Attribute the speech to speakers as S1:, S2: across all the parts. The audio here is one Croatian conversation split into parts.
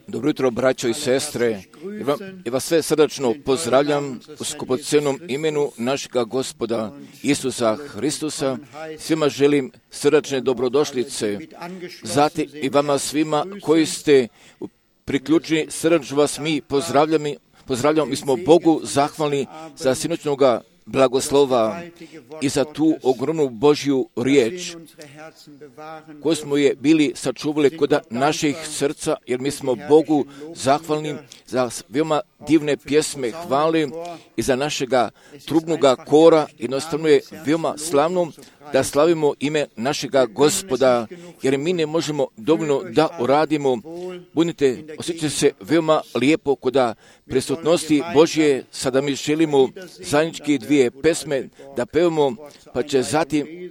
S1: Dobro jutro, braćo i sestre. Ja vas sve srdačno pozdravljam u skupocenom imenu našega Gospoda Isusa Hristusa. Svima želim srdačne dobrodošlice. Zatim i vama svima koji ste priključeni, srdačno vas mi pozdravljamo. Mi smo Bogu zahvalni za sinoćnoga blagoslova i za tu ogromnu Božju riječ koju smo je bili sačuvali kod naših srca, jer mi smo Bogu zahvalni za veoma divne pjesme hvale i za našega trubnoga kora. Jednostavno je veoma slavno da slavimo ime našega Gospoda, jer mi ne možemo dovoljno da uradimo. Osjećate se veoma lijepo kod prisutnosti Božje. Sada mi želimo zajednički dvije pesme da pevamo, pa će zatim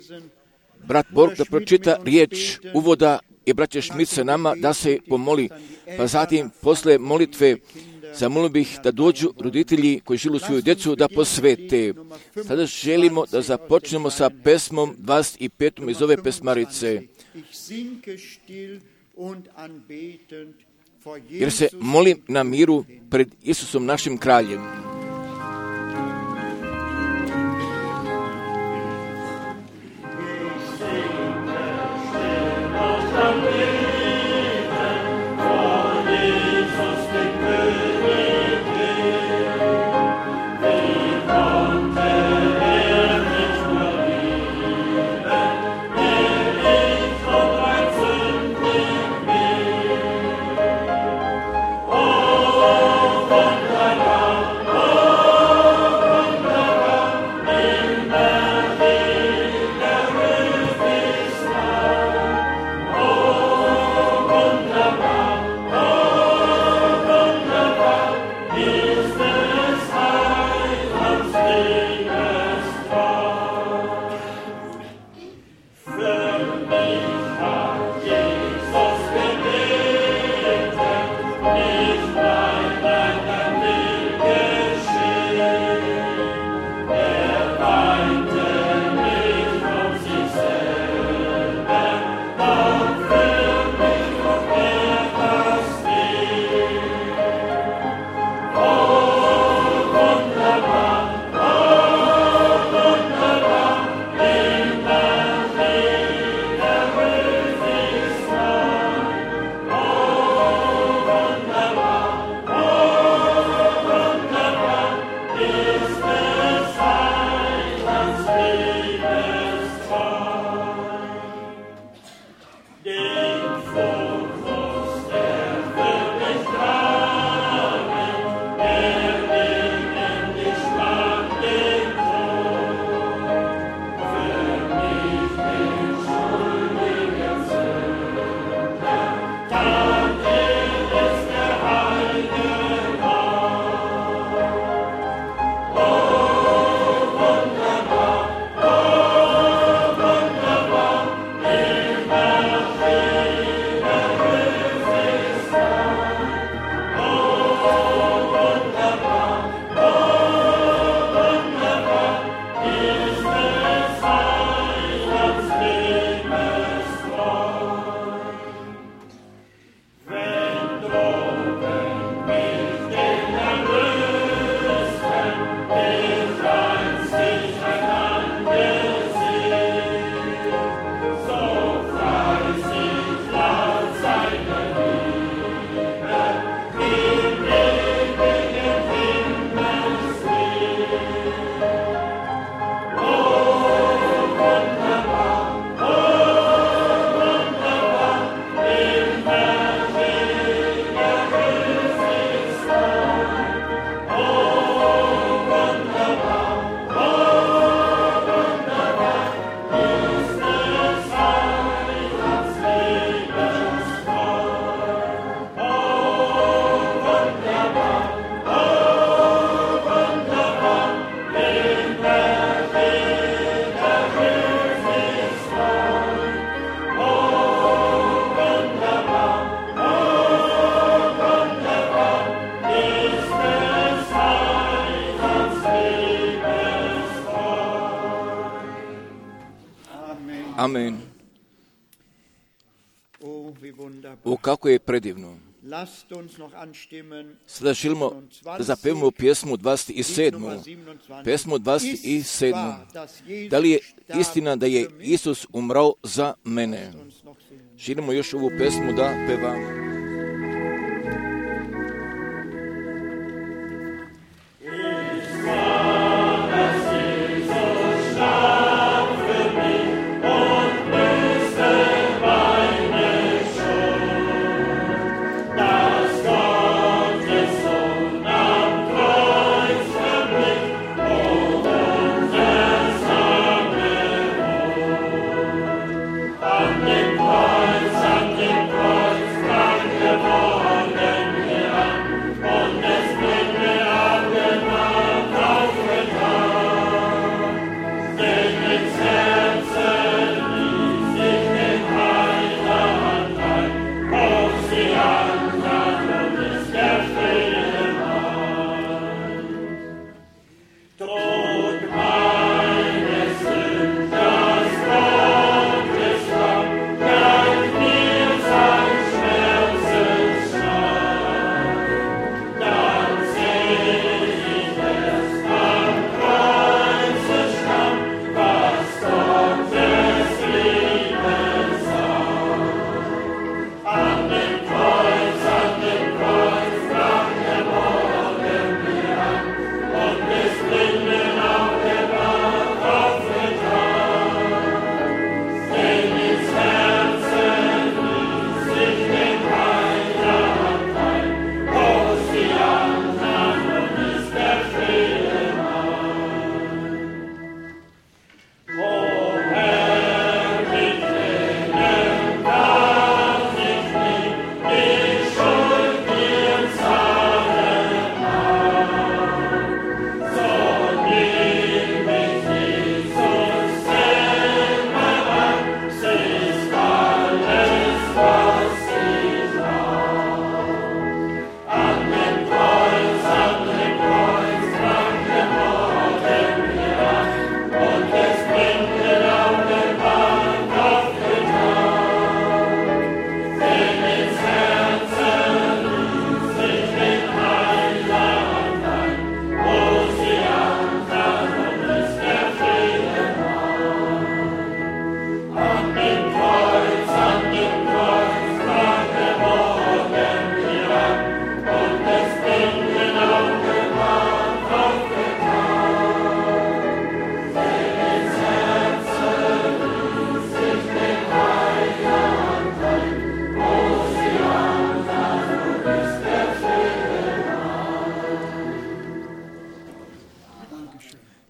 S1: brat Borg da pročita riječ uvoda i braće Šmit se nama da se pomoli. Pa zatim, posle molitve, zamolio bih da dođu roditelji koji žilu svoju djecu da posvete. Sada želimo da započnemo sa pesmom 25. iz ove pesmarice. Jer se molim na miru pred Isusom našim kraljem. O, kako je predivno. Sada želimo da zapevamo pjesmu 27. Pjesmu 27. Da li je istina da je Isus umrao za mene? Želimo još ovu pjesmu da pevamo.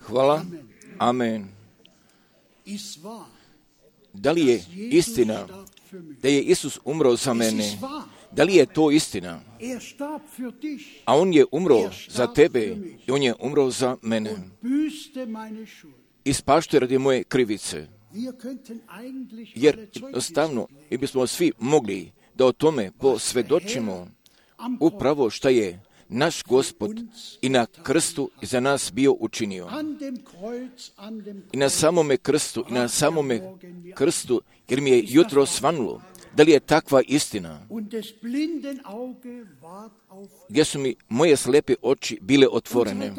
S1: Hvala. Amen. Da li je istina da je Isus umro za mene? Da li je to istina? A on je umro za tebe i on je umro za mene. Ispaštuje radi moje krivice. Jer jednostavno mi bismo svi mogli da o tome posvjedočimo upravo šta je naš Gospod i na krstu za nas bio učinio. I na samome krstu, jer mi je jutro svanulo. Da li je takva istina? Gdje su mi moje slepe oči bile otvorene?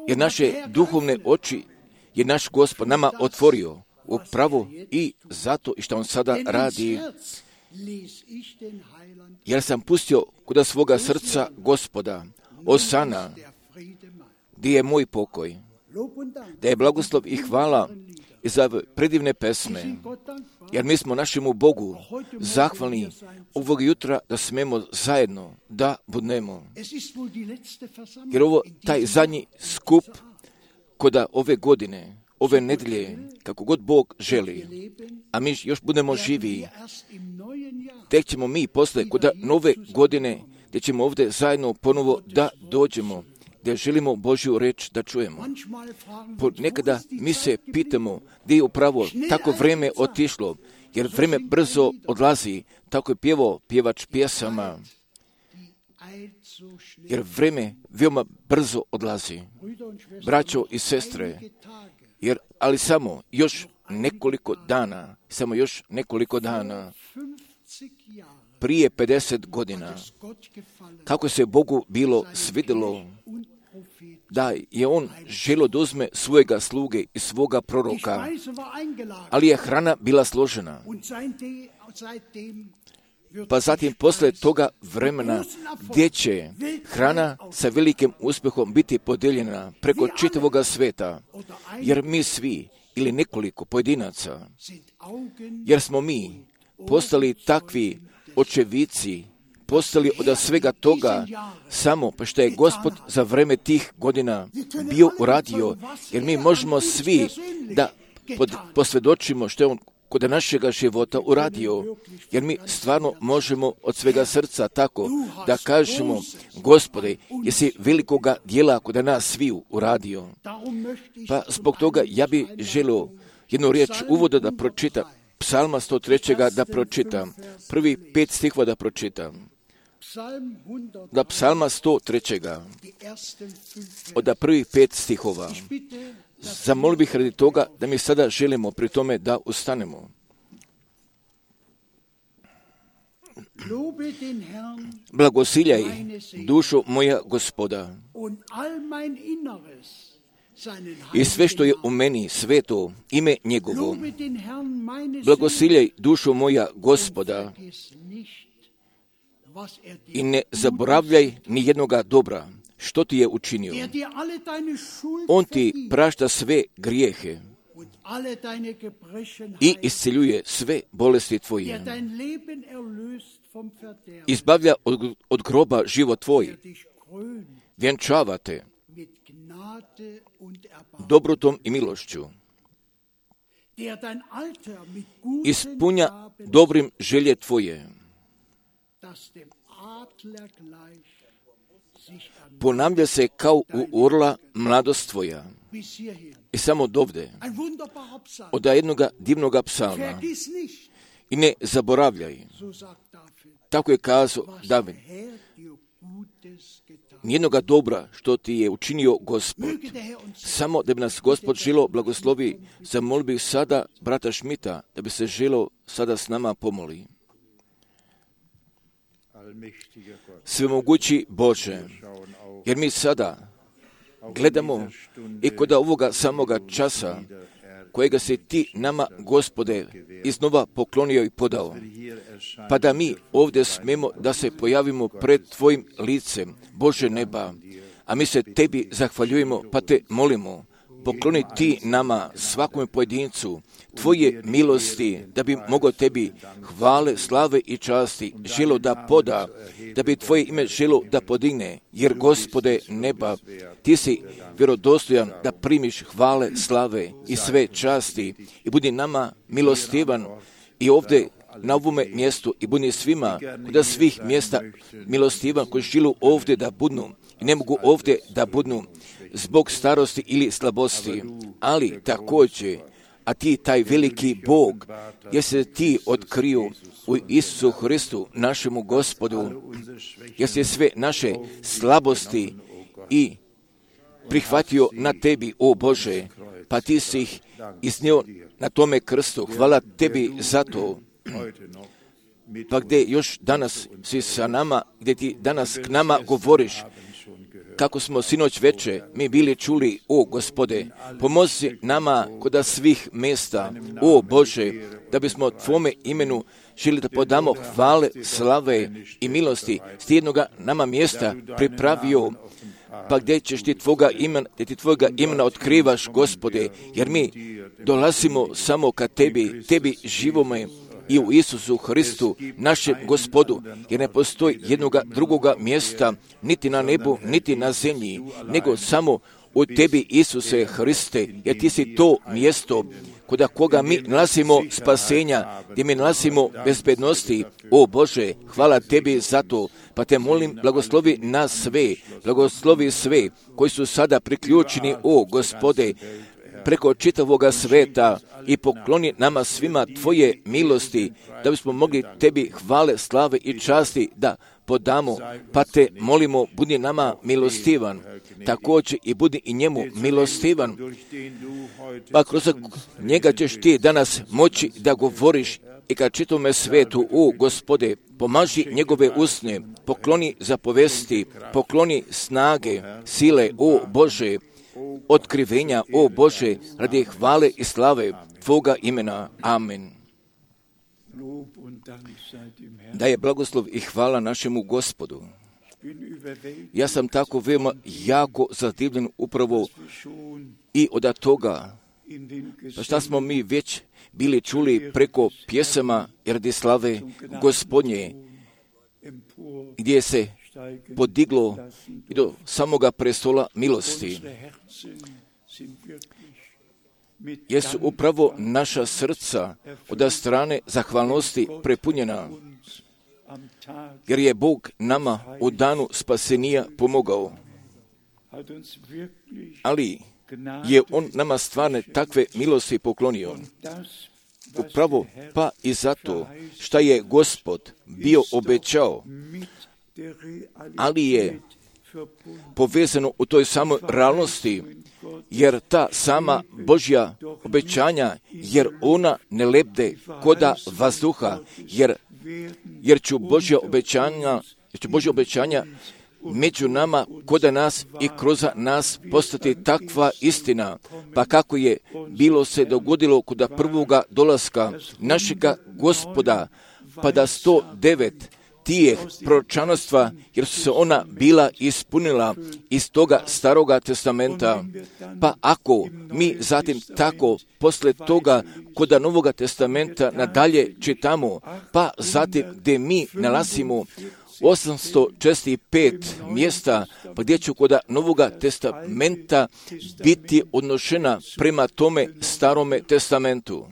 S1: Jer naše duhovne oči je naš Gospod nama otvorio upravo i zato i što on sada radi. Jer sam pustio kod svoga srca Gospoda, Osana, gdje je moj pokoj, da je blagoslov i hvala i za predivne pesme, jer mi smo našemu Bogu zahvalni ovog jutra da smemo zajedno da budemo. Jer ovo taj zadnji skup koda ove godine, ove nedelje, kako god Bog želi, a mi još budemo živi, tek ćemo mi posle koda nove godine, gdje ćemo ovdje zajedno ponovo da dođemo, gdje želimo Božju reč da čujemo. Nekada mi se pitamo gdje je upravo tako vreme otišlo, jer vreme brzo odlazi, tako je pjevao pjevač pjesama, jer vreme veoma brzo odlazi. Braćo i sestre, ali samo još nekoliko dana, prije 50 godina, kako se Bogu bilo svidjelo da je on želio da uzme svojega sluge i svoga proroka, ali je hrana bila složena. Pa zatim posle toga vremena gdje će hrana sa velikim uspjehom biti podijeljena preko čitavoga sveta, jer mi svi ili nekoliko pojedinaca, jer smo mi postali takvi očevici, postali od svega toga samo pa što je Gospod za vreme tih godina bio uradio, jer mi možemo svi da posvjedočimo što je on kod našega života uradio, jer mi stvarno možemo od svega srca tako da kažemo, Gospode, jesi velikoga dijela kod nas sviju uradio. Pa zbog toga ja bi želio jednu riječ uvoda da pročitam, Psalma 103. da pročitam, prvi 5 stihova da pročitam. Da Psalma 103. od prvih 5 stihova. Zamolio bih radi toga da mi sada želimo pri tome da ustanemo. Blagosiljaj dušo moja Gospoda i sve što je u meni sveto ime njegovo. Blagosiljaj dušo moja Gospoda i ne zaboravljaj ni jednoga dobra što ti je učinio. On ti prašta sve grijehe i isceljuje sve bolesti tvoje. Izbavlja od groba život tvoj. Vjenčava te dobrotom i milošću. Ispunja dobrim želje tvoje. Ponavlja se kao u orla mladost tvoja. I samo dovde, od jednoga divnoga psalma. I ne zaboravljaj. Tako je kazao David. Nijednoga dobra što ti je učinio Gospod. Samo da bi nas Gospod želo blagoslovi, zamolio bih sada brata Šmita da bi se želo sada s nama pomoli. Svemogući Bože, jer mi sada gledamo i kod ovoga samoga časa kojega si ti nama, Gospode, iznova poklonio i podao, pa da mi ovdje smemo da se pojavimo pred tvojim licem, Bože neba, a mi se tebi zahvaljujemo, pa te molimo, pokloni ti nama, svakome pojedincu, tvoje milosti, da bi mogao tebi hvale, slave i časti želo da poda, da bi tvoje ime želo da podigne, jer Gospode neba, ti si vjerodostojan da primiš hvale, slave i sve časti i budi nama milostivan i ovdje na ovome mjestu i budi svima kod svih mjesta milostivan koji žilu ovdje da budnu i ne mogu ovdje da budnu zbog starosti ili slabosti, ali također, a ti taj veliki Bog, jer se ti otkrio u Isusu Hristu, našemu Gospodu, jer se sve naše slabosti i prihvatio na tebi, o Bože, pa ti si ih iznio na tome krstu. Hvala tebi za to. Pa gdje još danas si sa nama, gdje ti danas k nama govoriš, kako smo sinoć veče mi bili čuli, o Gospode, pomozi nama kod svih mjesta, o Bože, da bismo tvome imenu želi da podamo hvale, slave i milosti s jednoga nama mjesta pripravio, pa gdje ćeš ti tvoga imena otkrivaš, Gospode, jer mi dolazimo samo ka tebi živome i u Isusu Hristu, našem Gospodu, jer ne postoji jednoga drugoga mjesta, niti na nebu, niti na zemlji, nego samo u tebi, Isuse Hriste, jer ti si to mjesto kod koga mi nalazimo spasenja, gdje mi nalazimo bezbednosti. O Bože, hvala tebi za to, pa te molim, blagoslovi nas sve, blagoslovi sve koji su sada priključeni, o Gospode, preko čitavoga sveta i pokloni nama svima tvoje milosti, da bismo mogli tebi hvale, slave i časti da podamo, pa te molimo, budi nama milostivan, također i budi i njemu milostivan, pa kroz njega ćeš ti danas moći da govoriš i ka čitome svetu, o Gospode, pomaži njegove usne, pokloni zapovesti, pokloni snage, sile, o Bože, otkrivenja, o Bože, radi hvale i slave Tvoga imena. Amen. Da je blagoslov i hvala našemu Gospodu. Ja sam tako veoma jako zadivljen upravo i od toga, pa šta smo mi već bili čuli preko pjesama radi slave Gospodnje, gdje se podiglo i do samoga prestola milosti. Jesu upravo naša srca od strane zahvalnosti prepunjena, jer je Bog nama u danu spasenija pomogao. Ali je On nama stvarne takve milosti poklonio. Upravo pa i zato što je Gospod bio obećao, ali je povezano u toj samoj realnosti, jer ta sama Božja obećanja, jer ona ne lebde koda vazduha, jer će Božja obećanja među nama, koda nas i kroz nas postati takva istina, pa kako je bilo se dogodilo kod prvoga dolaska našega Gospoda, pa da 109 tijeh proročanstva, jer su se ona bila ispunila iz toga staroga testamenta. Pa ako mi zatim tako posle toga kod Novoga testamenta nadalje čitamo, pa zatim gdje mi nalazimo 865 mjesta, pa gdje će kod Novoga testamenta biti odnošena prema tome starome testamentu.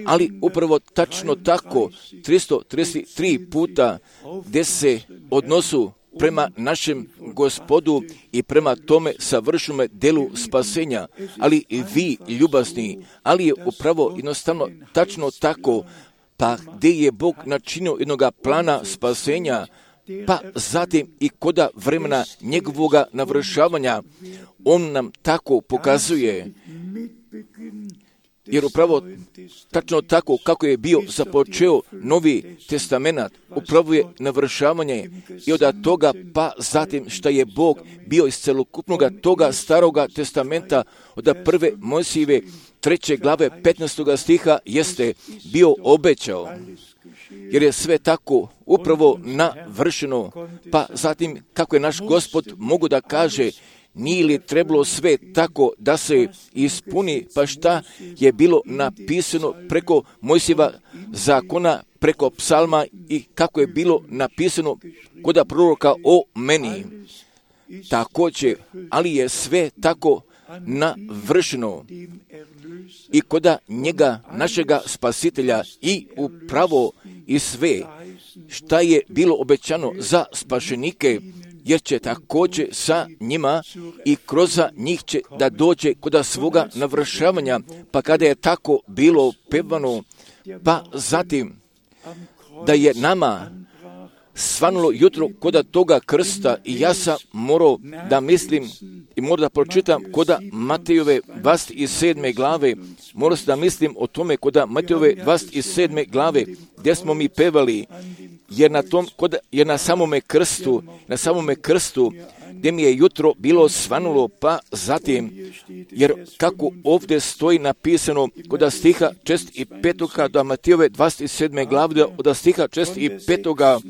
S1: Ali upravo tačno tako 333 puta gdje se odnosu prema našem Gospodu i prema tome savršenome delu spasenja, ali i vi ljubazni, ali je upravo jednostavno tačno tako, pa gdje je Bog načinio jednoga plana spasenja, pa zatim i koda vremena njegovoga navršavanja, On nam tako pokazuje. Jer upravo tačno tako kako je bio započeo Novi testament, upravo je navršavanje i od toga pa zatim što je Bog bio iz celokupnog toga staroga testamenta od prve Mojsijeve 3. glave 15. stiha jeste bio obećao. Jer je sve tako upravo navršeno, pa zatim kako je naš Gospod mogu da kaže, nije li trebalo sve tako da se ispuni, pa šta je bilo napisano preko Mojsijeva zakona, preko psalma i kako je bilo napisano kod proroka o meni. Također, ali je sve tako navršeno i koda njega, našega spasitelja i upravo i sve šta je bilo obećano za spašenike, jer će također sa njima i kroz njih će da dođe kod svoga navršavanja, pa kada je tako bilo pevano, pa zatim da je nama svanulo jutro kod toga krsta i ja sam morao da mislim i moram da pročitam kod Matejove 27. glave, moram da mislim o tome kod Matejove 27. glave gdje smo mi pevali, jer na samome krstu gdje mi je jutro bilo svanulo, pa zatim, jer kako ovdje stoji napisano kod stiha 6. i 5. do Matejove 27. glave od stiha 6. i 5.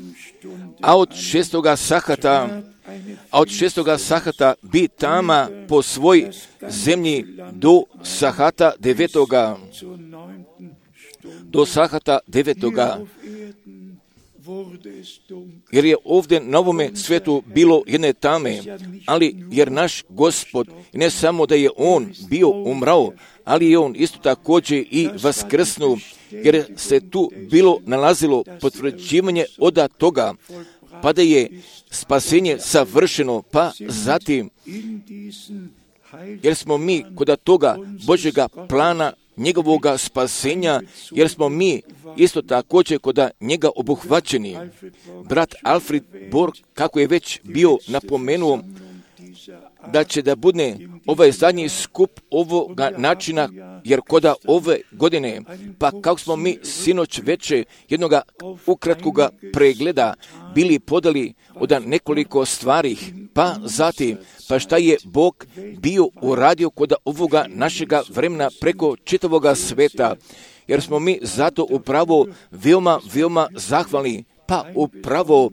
S1: a od 6. sahata bi tama po svoj zemlji do sahata 9. Do sahata 9. Jer je ovdje na ovome svijetu bilo jedne tame, ali jer naš Gospod, ne samo da je On bio umrao, ali je On isto također i vaskrsnuo, jer se tu bilo nalazilo potvrđivanje od toga, pa da je spasenje savršeno, pa zatim, jer smo mi kod toga Božjega plana njegovoga spasenja, jer smo mi isto također kod njega obuhvaćeni. Brat Alfred Borg, kako je već bio napomenuo, da će da bude ovaj zadnji skup ovoga načina, jer koda ove godine, pa kako smo mi sinoć veče jednoga ukratkoga pregleda bili podali od nekoliko stvari, pa zatim, pa šta je Bog bio uradio kod ovoga našega vremena preko čitavoga sveta, jer smo mi zato upravo veoma zahvalni, pa upravo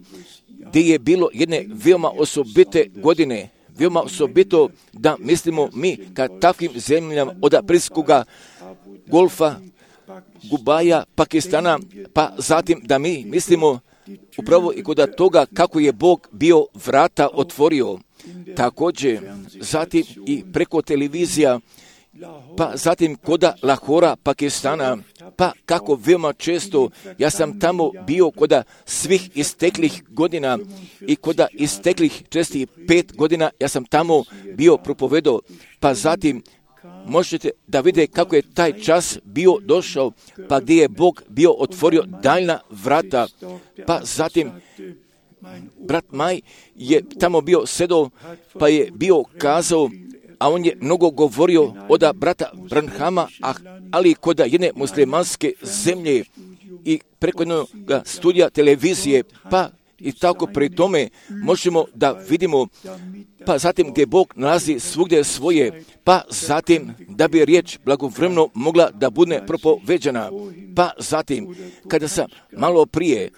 S1: gdje je bilo jedne veoma osobite godine, veoma osobito da mislimo mi ka takvim zemljama od Aprilskoga golfa, Gubaja, Pakistana, pa zatim da mi mislimo upravo i kod toga kako je Bog bio vrata otvorio. Također, zatim i preko televizija, pa zatim koda Lahora, Pakistana, pa kako veoma često ja sam tamo bio koda svih isteklih godina i koda isteklih 5 godina ja sam tamo bio propovedao, pa zatim možete da vide kako je taj čas bio došao, pa gdje je Bog bio otvorio daljna vrata, pa zatim brat Maj je tamo bio sedao, pa je bio kazao, a on je mnogo govorio od brata Branhama, ali kod jedne muslimanske zemlje i preko jednog studija televizije, pa i tako pri tome možemo da vidimo, pa zatim gdje Bog nalazi svugdje svoje, pa zatim da bi riječ blagovremeno mogla da bude propoveđena. Pa zatim, kada sam malo prije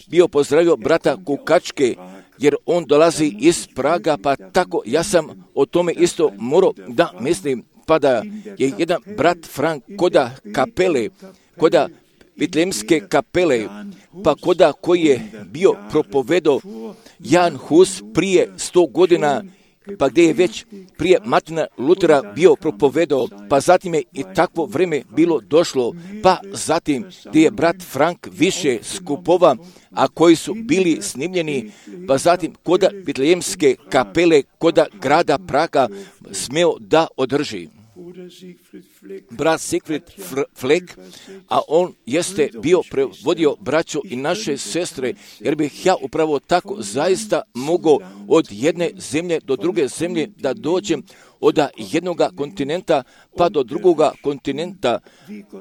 S1: bio pozdravio brata Kukačke, jer on dolazi iz Praga, pa tako ja sam o tome isto morao da mislim, pa da je jedan brat Frank koda kapele, koda Vitlejemske kapele, pa koda koji je bio propovedao Jan Hus prije 100 godina, pa gdje je već prije Martina Lutera bio propovedao, pa zatim je i takvo vrijeme bilo došlo, pa zatim gdje je brat Frank više skupova, a koji su bili snimljeni, pa zatim koda Vitlejemske kapele, koda grada Praga smeo da održi. Brat Siegfried Fleck, a on jeste bio prevodio braćo i naše sestre, jer bih ja upravo tako zaista mogao od jedne zemlje do druge zemlje da dođem od jednoga kontinenta pa do drugoga kontinenta,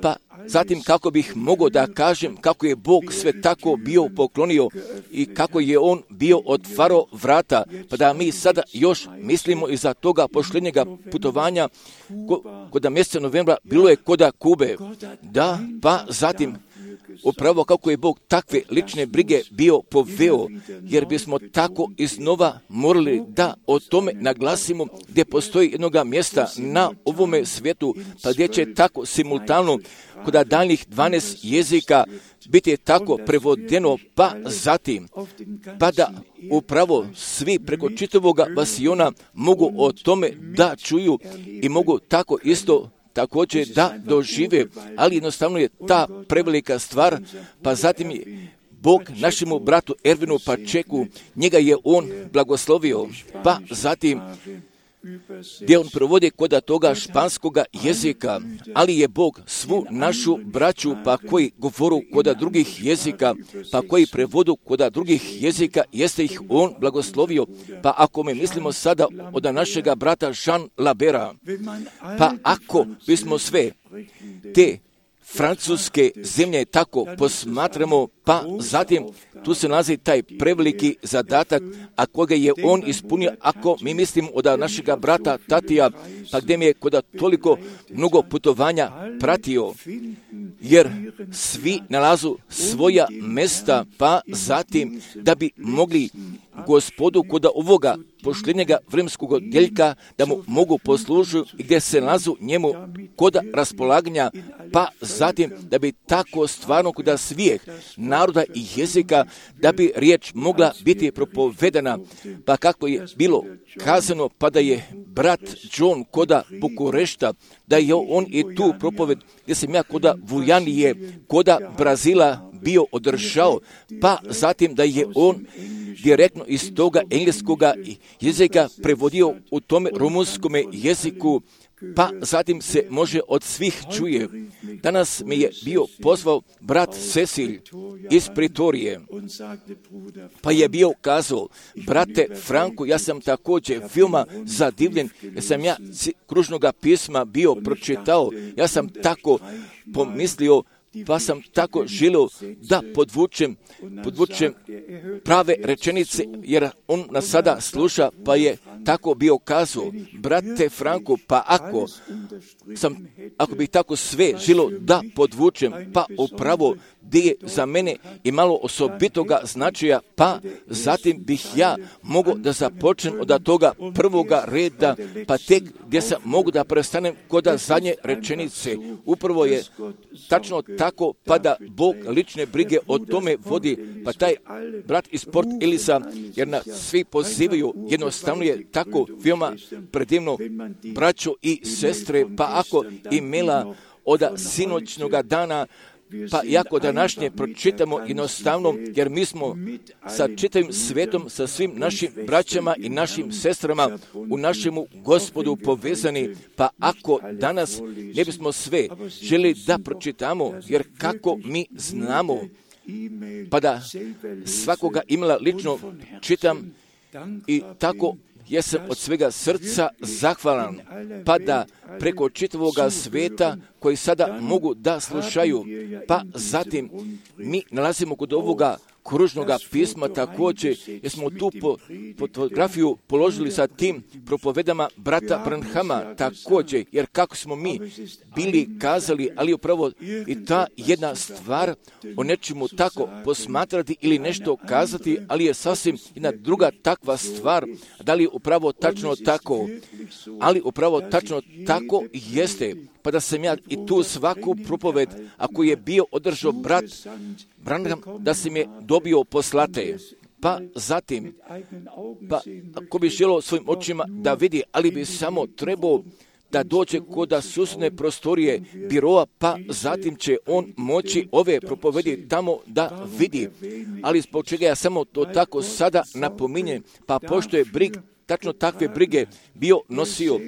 S1: pa zatim kako bih mogao da kažem kako je Bog sve tako bio poklonio i kako je on bio otvarao vrata, pa da mi sada još mislimo iza toga posljednjega putovanja kod mjeseca novembra bilo je koda Kube, da, pa zatim upravo kako je Bog takve lične brige bio poveo, jer bismo tako iznova morali da o tome naglasimo gdje postoji jednoga mjesta na ovome svijetu, pa gdje će tako simultano kod daljnjih 12 jezika biti tako prevodeno, pa zatim, pa da upravo svi preko čitavoga vasiona mogu o tome da čuju i mogu tako isto također da dožive, ali jednostavno je ta prevelika stvar, pa zatim je Bog našemu bratu Ervinu Pačeku, njega je on blagoslovio, pa zatim gdje on provodi koda toga španskoga jezika, ali je Bog svu našu braću, pa koji govoru koda drugih jezika, pa koji prevodu koda drugih jezika, jeste ih on blagoslovio. Pa ako mi mislimo sada od našega brata Jean Labera, pa ako bismo sve te francuske zemlje tako posmatramo, pa zatim tu se nalazi taj preveliki zadatak, a koga je on ispunio, ako mi mislimo od našega brata Tatija, pa gdje mi je kod toliko mnogo putovanja pratio, jer svi nalazu svoja mesta, pa zatim da bi mogli Gospodu kod ovoga posljednjega vremenskog odjeljka da mu mogu poslužiti i gdje se nalazu njemu kod raspolaganja, pa zatim da bi tako stvarno kod svih naroda i jezika da bi riječ mogla biti propovedana, pa kako je bilo kazano, pa da je brat John koda Bukurešta, da je on i tu propoved gdje sam ja koda Vujanije, koda Brazila bio održao, pa zatim da je on direktno iz toga engleskoga jezika prevodio u tome rumunskome jeziku, pa zatim se može od svih čuje. Danas me je bio pozvao brat Cecil iz Pritorije, pa je bio kazao, brate Franko, ja sam također veoma zadivljen, jer sam ja kružnoga pisma bio pročitao, ja sam tako pomislio, pa sam tako želio da podvučem prave rečenice, jer on nas sada sluša, pa je tako bio kazao, brate Franko, pa ako bih tako sve želio da podvučem, pa upravo gdje je za mene imalo osobitoga značaja, pa zatim bih ja mogao da započnem od toga prvoga reda, pa tek gdje sam mogu da prestanem kod zadnje rečenice. Upravo je tačno tako, pa da Bog lične brige o tome vodi, pa taj brat iz Port Elisa, jer nas svi pozivaju, jednostavno je tako veoma predivno, braćo i sestre, pa ako imela od sinoćnoga dana, pa jako današnje pročitamo jednostavno, jer mi smo sa čitavim svetom, sa svim našim braćama i našim sestrama u našemu Gospodu povezani, pa ako danas ne bismo sve želi da pročitamo, jer kako mi znamo, pa da svakoga imala lično čitam i tako jesam od svega srca zahvalan, pa da preko čitavoga sveta koji sada mogu da slušaju, pa zatim mi nalazimo kod ovoga kružnoga pisma također, jer smo tu fotografiju položili sa tim propovedama brata Branhama također, jer kako smo mi bili kazali, ali upravo i ta jedna stvar o nečemu tako posmatrati ili nešto kazati, ali je sasvim jedna druga takva stvar, da li upravo tačno tako, ali upravo tačno tako jeste, pa da sam ja i tu svaku propoved, ako je bio održao brat Branham, da sam je dobio poslate, pa zatim, pa ako bi želio svojim očima da vidi, ali bi samo trebao da dođe kod susjedne prostorije biroa, pa zatim će on moći ove propovedi tamo da vidi. Ali zbog čega ja samo to tako sada napominjem, pa pošto je tačno takve brige bio nosio,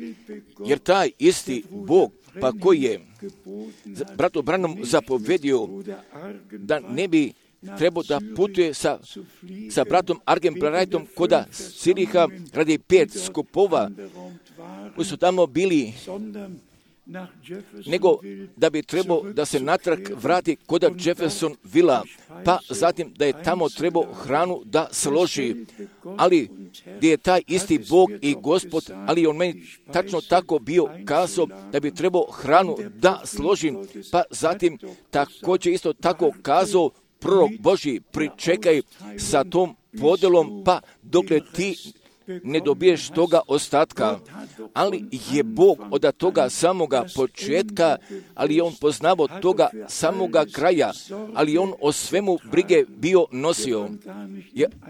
S1: jer taj isti Bog, pa koji je bratu Branham zapovedio da ne bi trebao da putuje sa bratom Argem Blarajtom koda Siriha radi 5 skupova koji su tamo bili, nego da bi trebao da se natrag vrati koda Jeffersonvilla, pa zatim da je tamo trebao hranu da složi, ali gdje je taj isti Bog i Gospod, ali on meni tačno tako bio kazao da bi trebao hranu da složim, pa zatim također isto tako kazao prorok Božji, pričekaj sa tom podelom, pa dokle ti ne dobiješ toga ostatka, ali je Bog od toga samoga početka, ali je on poznavao toga samoga kraja, ali on o svemu brige bio nosio.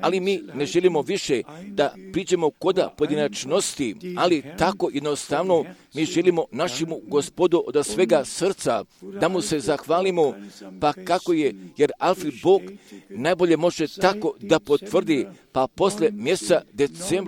S1: Ali mi ne želimo više da priđemo koda pojedinačnosti, ali tako jednostavno mi želimo našemu Gospodu od svega srca da mu se zahvalimo, pa kako je, jer Alfred Bog najbolje može tako da potvrdi, pa posle mjeseca decembra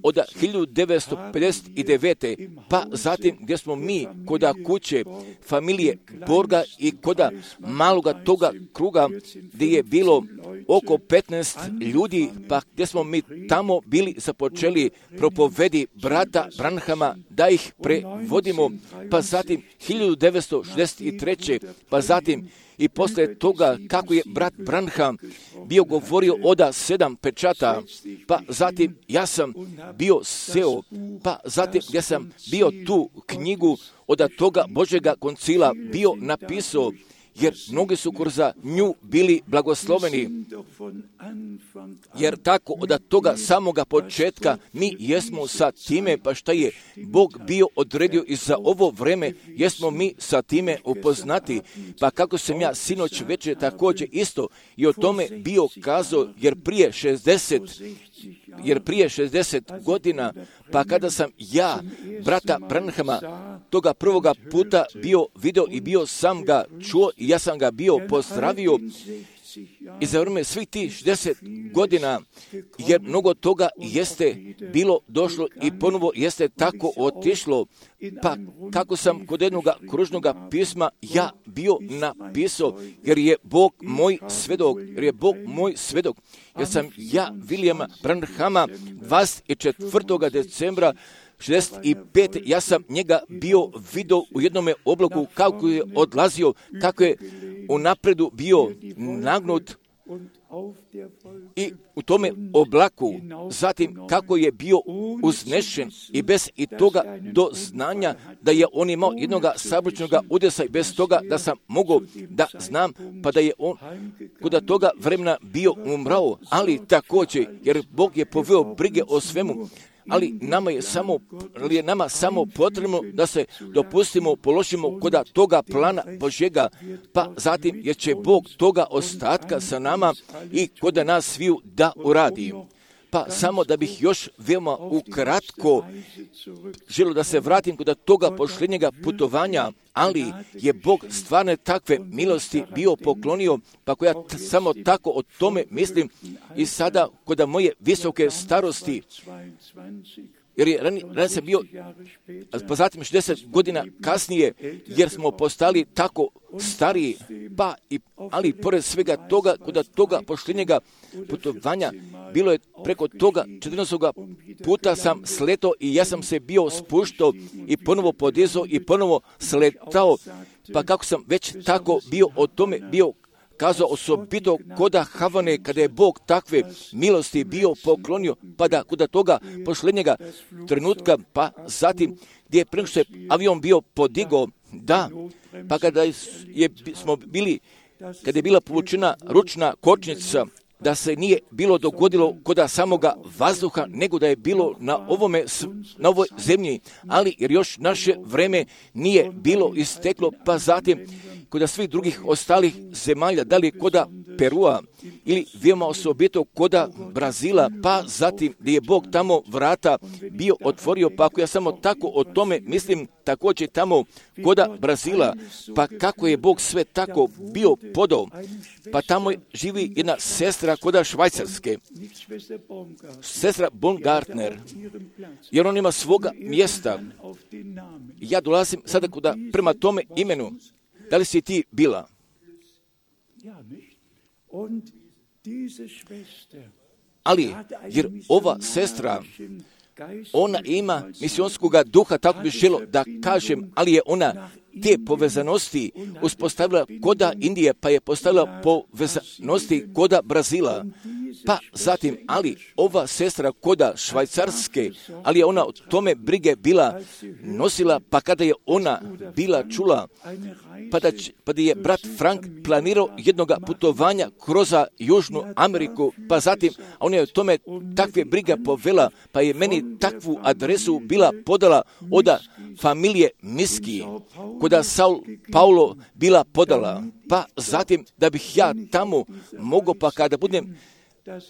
S1: od 1959. pa zatim gdje smo mi koda kuće familije Borga i koda maloga toga kruga gdje je bilo oko 15 ljudi, pa gdje smo mi tamo bili započeli propovedi brata Branhama da ih prevodimo, pa zatim 1963. pa zatim i poslije toga kako je brat Branham bio govorio od 7 pečata, pa zatim ja sam bio seo, pa zatim ja sam bio tu knjigu od toga Božjega koncila bio napisao, jer mnogi su kroz nju bili blagosloveni, jer tako od toga samoga početka mi jesmo sa time, pa šta je Bog bio odredio i za ovo vreme, jesmo mi sa time upoznati, pa kako sam ja sinoć večer također isto i o tome bio kazao, jer prije 60 godina, pa kada sam ja, brata Branhama, toga prvoga puta bio video i bio sam ga čuo i ja sam ga bio pozdravio, i za vrijeme svih tih 60 godina, jer mnogo toga jeste bilo došlo i ponovo jeste tako otišlo, pa kako sam kod jednog kružnog pisma ja bio napisao, jer je Bog moj svedok, jer sam ja Williama Branhama 24. decembra 65. ja sam njega bio vidio u jednome oblaku kako je odlazio, kako je u napredu bio nagnut i u tome oblaku, zatim kako je bio uznešen i bez i toga do znanja da je on imao jednog sabličnog udesa i bez toga da sam mogao da znam, pa da je on kod toga vremena bio umrao, ali također jer Bog je poveo brige o svemu. Ali nama samo potrebno da se dopustimo, položimo kod toga plana Božjega, pa zatim jer će Bog toga ostatka sa nama i kod nas sviju da uradi. Pa samo da bih još veoma ukratko želio da se vratim kod toga posljednjega putovanja, ali je Bog stvarno takve milosti bio poklonio, pa ako ja samo tako o tome mislim i sada kod moje visoke starosti, jer je ranije sam bio, pa zatim 60 godina kasnije, jer smo postali tako stariji, ali pored svega toga, kod toga posljednjega putovanja, bilo je preko toga 14. puta sam sletao i ja sam se bio spuštao i ponovo podizao i ponovo sletao, pa kako sam već tako bio o tome bio kazao osobito koda Havane, kada je Bog takve milosti bio poklonio, pa da kod toga posljednjega trenutka, pa zatim gdje je preko što je avion bio podigao, da, pa kada je bila povučena ručna kočnica, da se nije bilo dogodilo kod samoga vazduha, nego da je bilo na ovoj zemlji, ali jer još naše vreme nije bilo isteklo, pa zatim kod svih drugih ostalih zemalja, da li kod Perua ili veoma osobito kod Brazila, pa zatim gdje je Bog tamo vrata bio otvorio, pa ako ja samo tako o tome mislim, također tamo kod Brazila, pa kako je Bog sve tako bio podao, pa tamo živi jedna sestra kod Švajcarske, sestra Baumgartner, jer on ima svoga mjesta. Ja dolazim sada prema tome imenu. Da li si ti bila? Ali, jer ova sestra, ona ima misionskog duha, tako bi želo da kažem, ali je ona te povezanosti uspostavila koda Indije, pa je postavila povezanosti koda Brazila. Pa zatim, ali ova sestra koda Švajcarske, ali je ona o tome brige bila nosila, pa kada je ona bila čula, pa da je brat Frank planirao jednog putovanja kroz Južnu Ameriku, pa zatim ona je o tome takve brige povela, pa je meni takvu adresu bila podala od familije Miski, koda Saul Paulo bila podala, pa zatim da bih ja tamo mogao, pa kada budem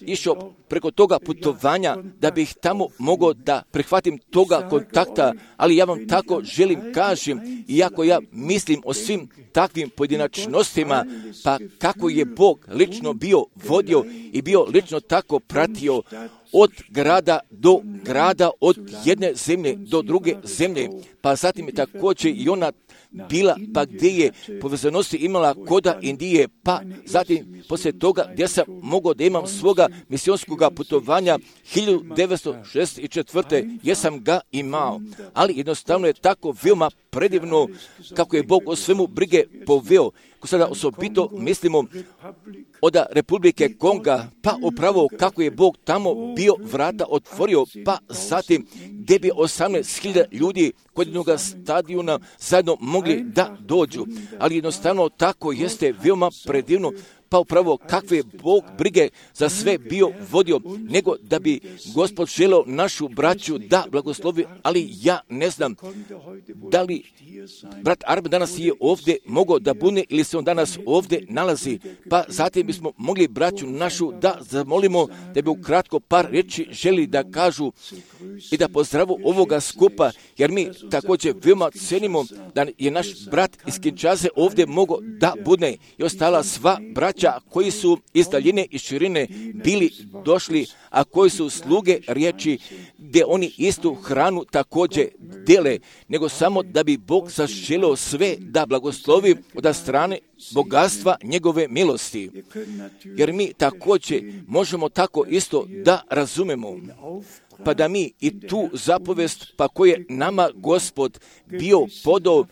S1: išao preko toga putovanja, da bih tamo mogao da prihvatim toga kontakta, ali ja vam tako želim kažem, iako ja mislim o svim takvim pojedinačnostima, pa kako je Bog lično bio vodio i bio lično tako pratio od grada do grada, od jedne zemlje do druge zemlje, pa zatim je također i ona bila, pa gdje je povezanosti imala koda Indije, pa zatim poslije toga gdje sam mogao da imam svoga misionskog putovanja 1964. jesam ga imao, ali jednostavno je tako veoma predivno kako je Bog o svemu brige poveo. Ko sada osobito mislimo od Republike Konga, pa upravo kako je Bog tamo bio vrata otvorio, pa zatim gdje bi 18.000 ljudi kod jednog stadiona zajedno mogli da dođu, ali jednostavno tako jeste veoma predivno, pa upravo kakve Bog brige za sve bio vodio, nego da bi Gospod želeo našu braću da blagoslovi, ali ja ne znam da li brat Arben danas je ovdje mogao da bude ili se on danas ovdje nalazi, pa zatim bismo mogli braću našu da zamolimo da bi ukratko par riječi želi da kažu i da pozdravu ovoga skupa, jer mi također veoma cenimo da je naš brat iz Kinshase ovdje mogao da bude i ostala sva braća braća koji su iz daljine i širine bili došli, a koji su sluge riječi, gdje oni istu hranu također dele, nego samo da bi Bog zaželio sve da blagoslovi od strane bogatstva njegove milosti. Jer mi također možemo tako isto da razumemo, pa da mi i tu zapovest, pa koje nama Gospod bio podao,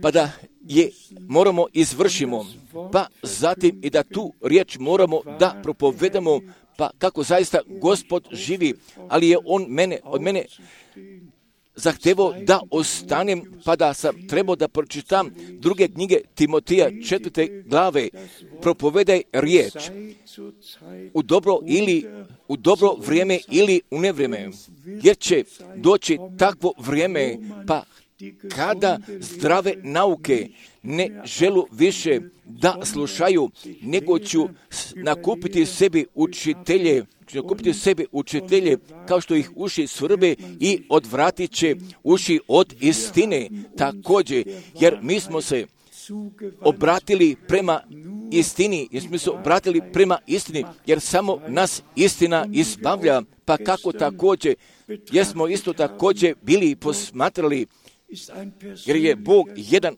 S1: pa da je moramo izvršimo, pa zatim i da tu riječ moramo da propovedamo, pa kako zaista Gospod živi, ali je on od mene zahtevao da ostanem, pa da sam trebao da pročitam druge knjige Timotija 4. glave, propovedaj riječ u dobro vrijeme ili u nevrijeme, jer će doći takvo vrijeme, pa kada zdrave nauke ne želu više da slušaju, nego ću nakupiti sebi učitelje, kao što ih uši svrbe i odvratit će uši od istine također, jer mi smo se obratili prema istini, jer samo nas istina izbavlja, pa kako također, jer smo isto također bili posmatrali, jer je Bog jedan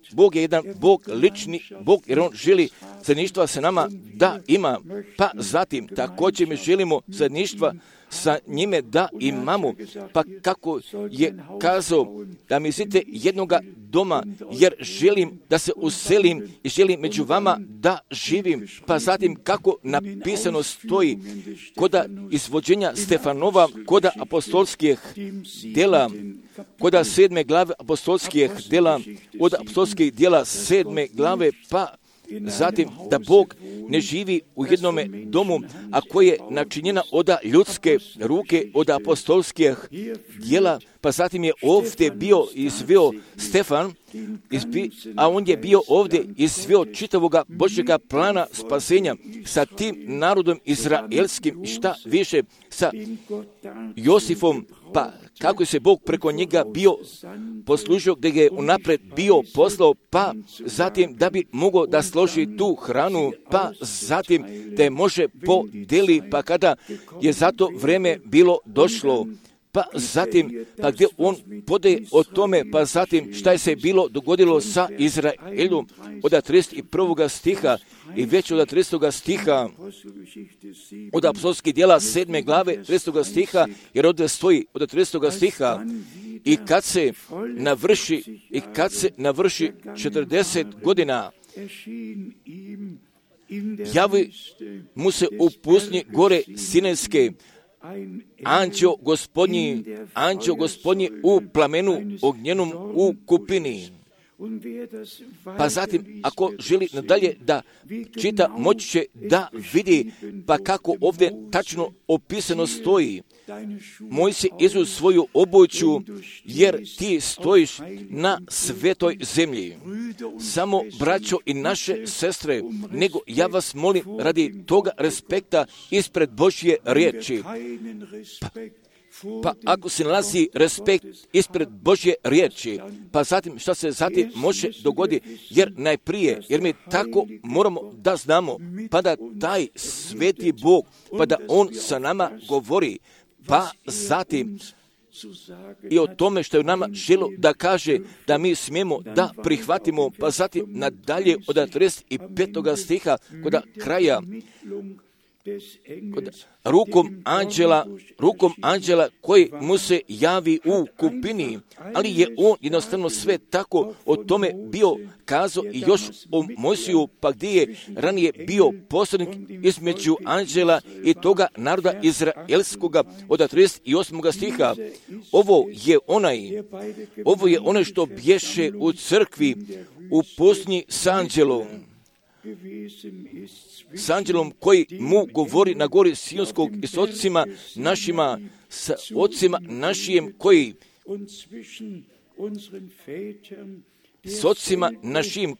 S1: Bog lični Bog, jer on želi zajedništva sa nama da ima, pa zatim također mi želimo zajedništva sa njime da imamo, pa kako je kazao da mi zite jednoga doma, jer želim da se uselim i želim među vama da živim, pa zatim kako napisano stoji koda izvođenja Stefanova, koda apostolskih djela, koda 7. glave apostolskih djela, od apostolskih djela 7. glave, pa zatim da Bog ne živi u jednome domu, a koje je načinjena od ljudske ruke, od apostolskih djela, pa zatim je ovdje bio izveo Stefan, a on je bio ovdje izveo čitavoga Božjega plana spasenja sa tim narodom izraelskim, šta više sa Josifom, pa kako se Bog preko njega bio poslužio, gdje ga je unaprijed bio poslao, pa zatim da bi mogao da složi tu hranu, pa zatim da je može podeli, pa kada je za to vrijeme bilo došlo, pa zatim, pa gdje on podaje o tome, pa zatim šta je se bilo dogodilo sa Izraelom od 31. stiha i već od 30. stiha, od apostolskih djela 7. glave 30. stiha, jer ovdje stoji od 30. stiha, i kad se navrši 40 godina, javi mu se u pustinji gore Sinajske anđeo gospodnji u plamenu ognjenom u kupini. Pa zatim, ako želi nadalje da čita, moći će da vidi, pa kako ovdje tačno opisano stoji. Mojsije izu svoju obuću, jer ti stojiš na svetoj zemlji. Samo, braćo i naše sestre, nego ja vas molim radi toga respekta ispred Božje riječi. Pa ako se nalazi respekt ispred Božje riječi, pa zatim šta se zatim može dogoditi, jer najprije, jer mi tako moramo da znamo, pa da taj sveti Bog, pa da on sa nama govori, pa zatim i o tome što je nama želo da kaže da mi smijemo da prihvatimo, pa zatim nadalje od 35. stiha kod kraja, rukom anđela koji mu se javi u kupini, ali je on jednostavno sve tako o tome bio kazao i još o Mojsiju, pa gdje je ranije bio posrednik između anđela i toga naroda izraelskoga od 38. stiha. Ovo je onaj što bješe u crkvi u pustinji s anđelom koji mu govori na gori Sionskog i s ocima našim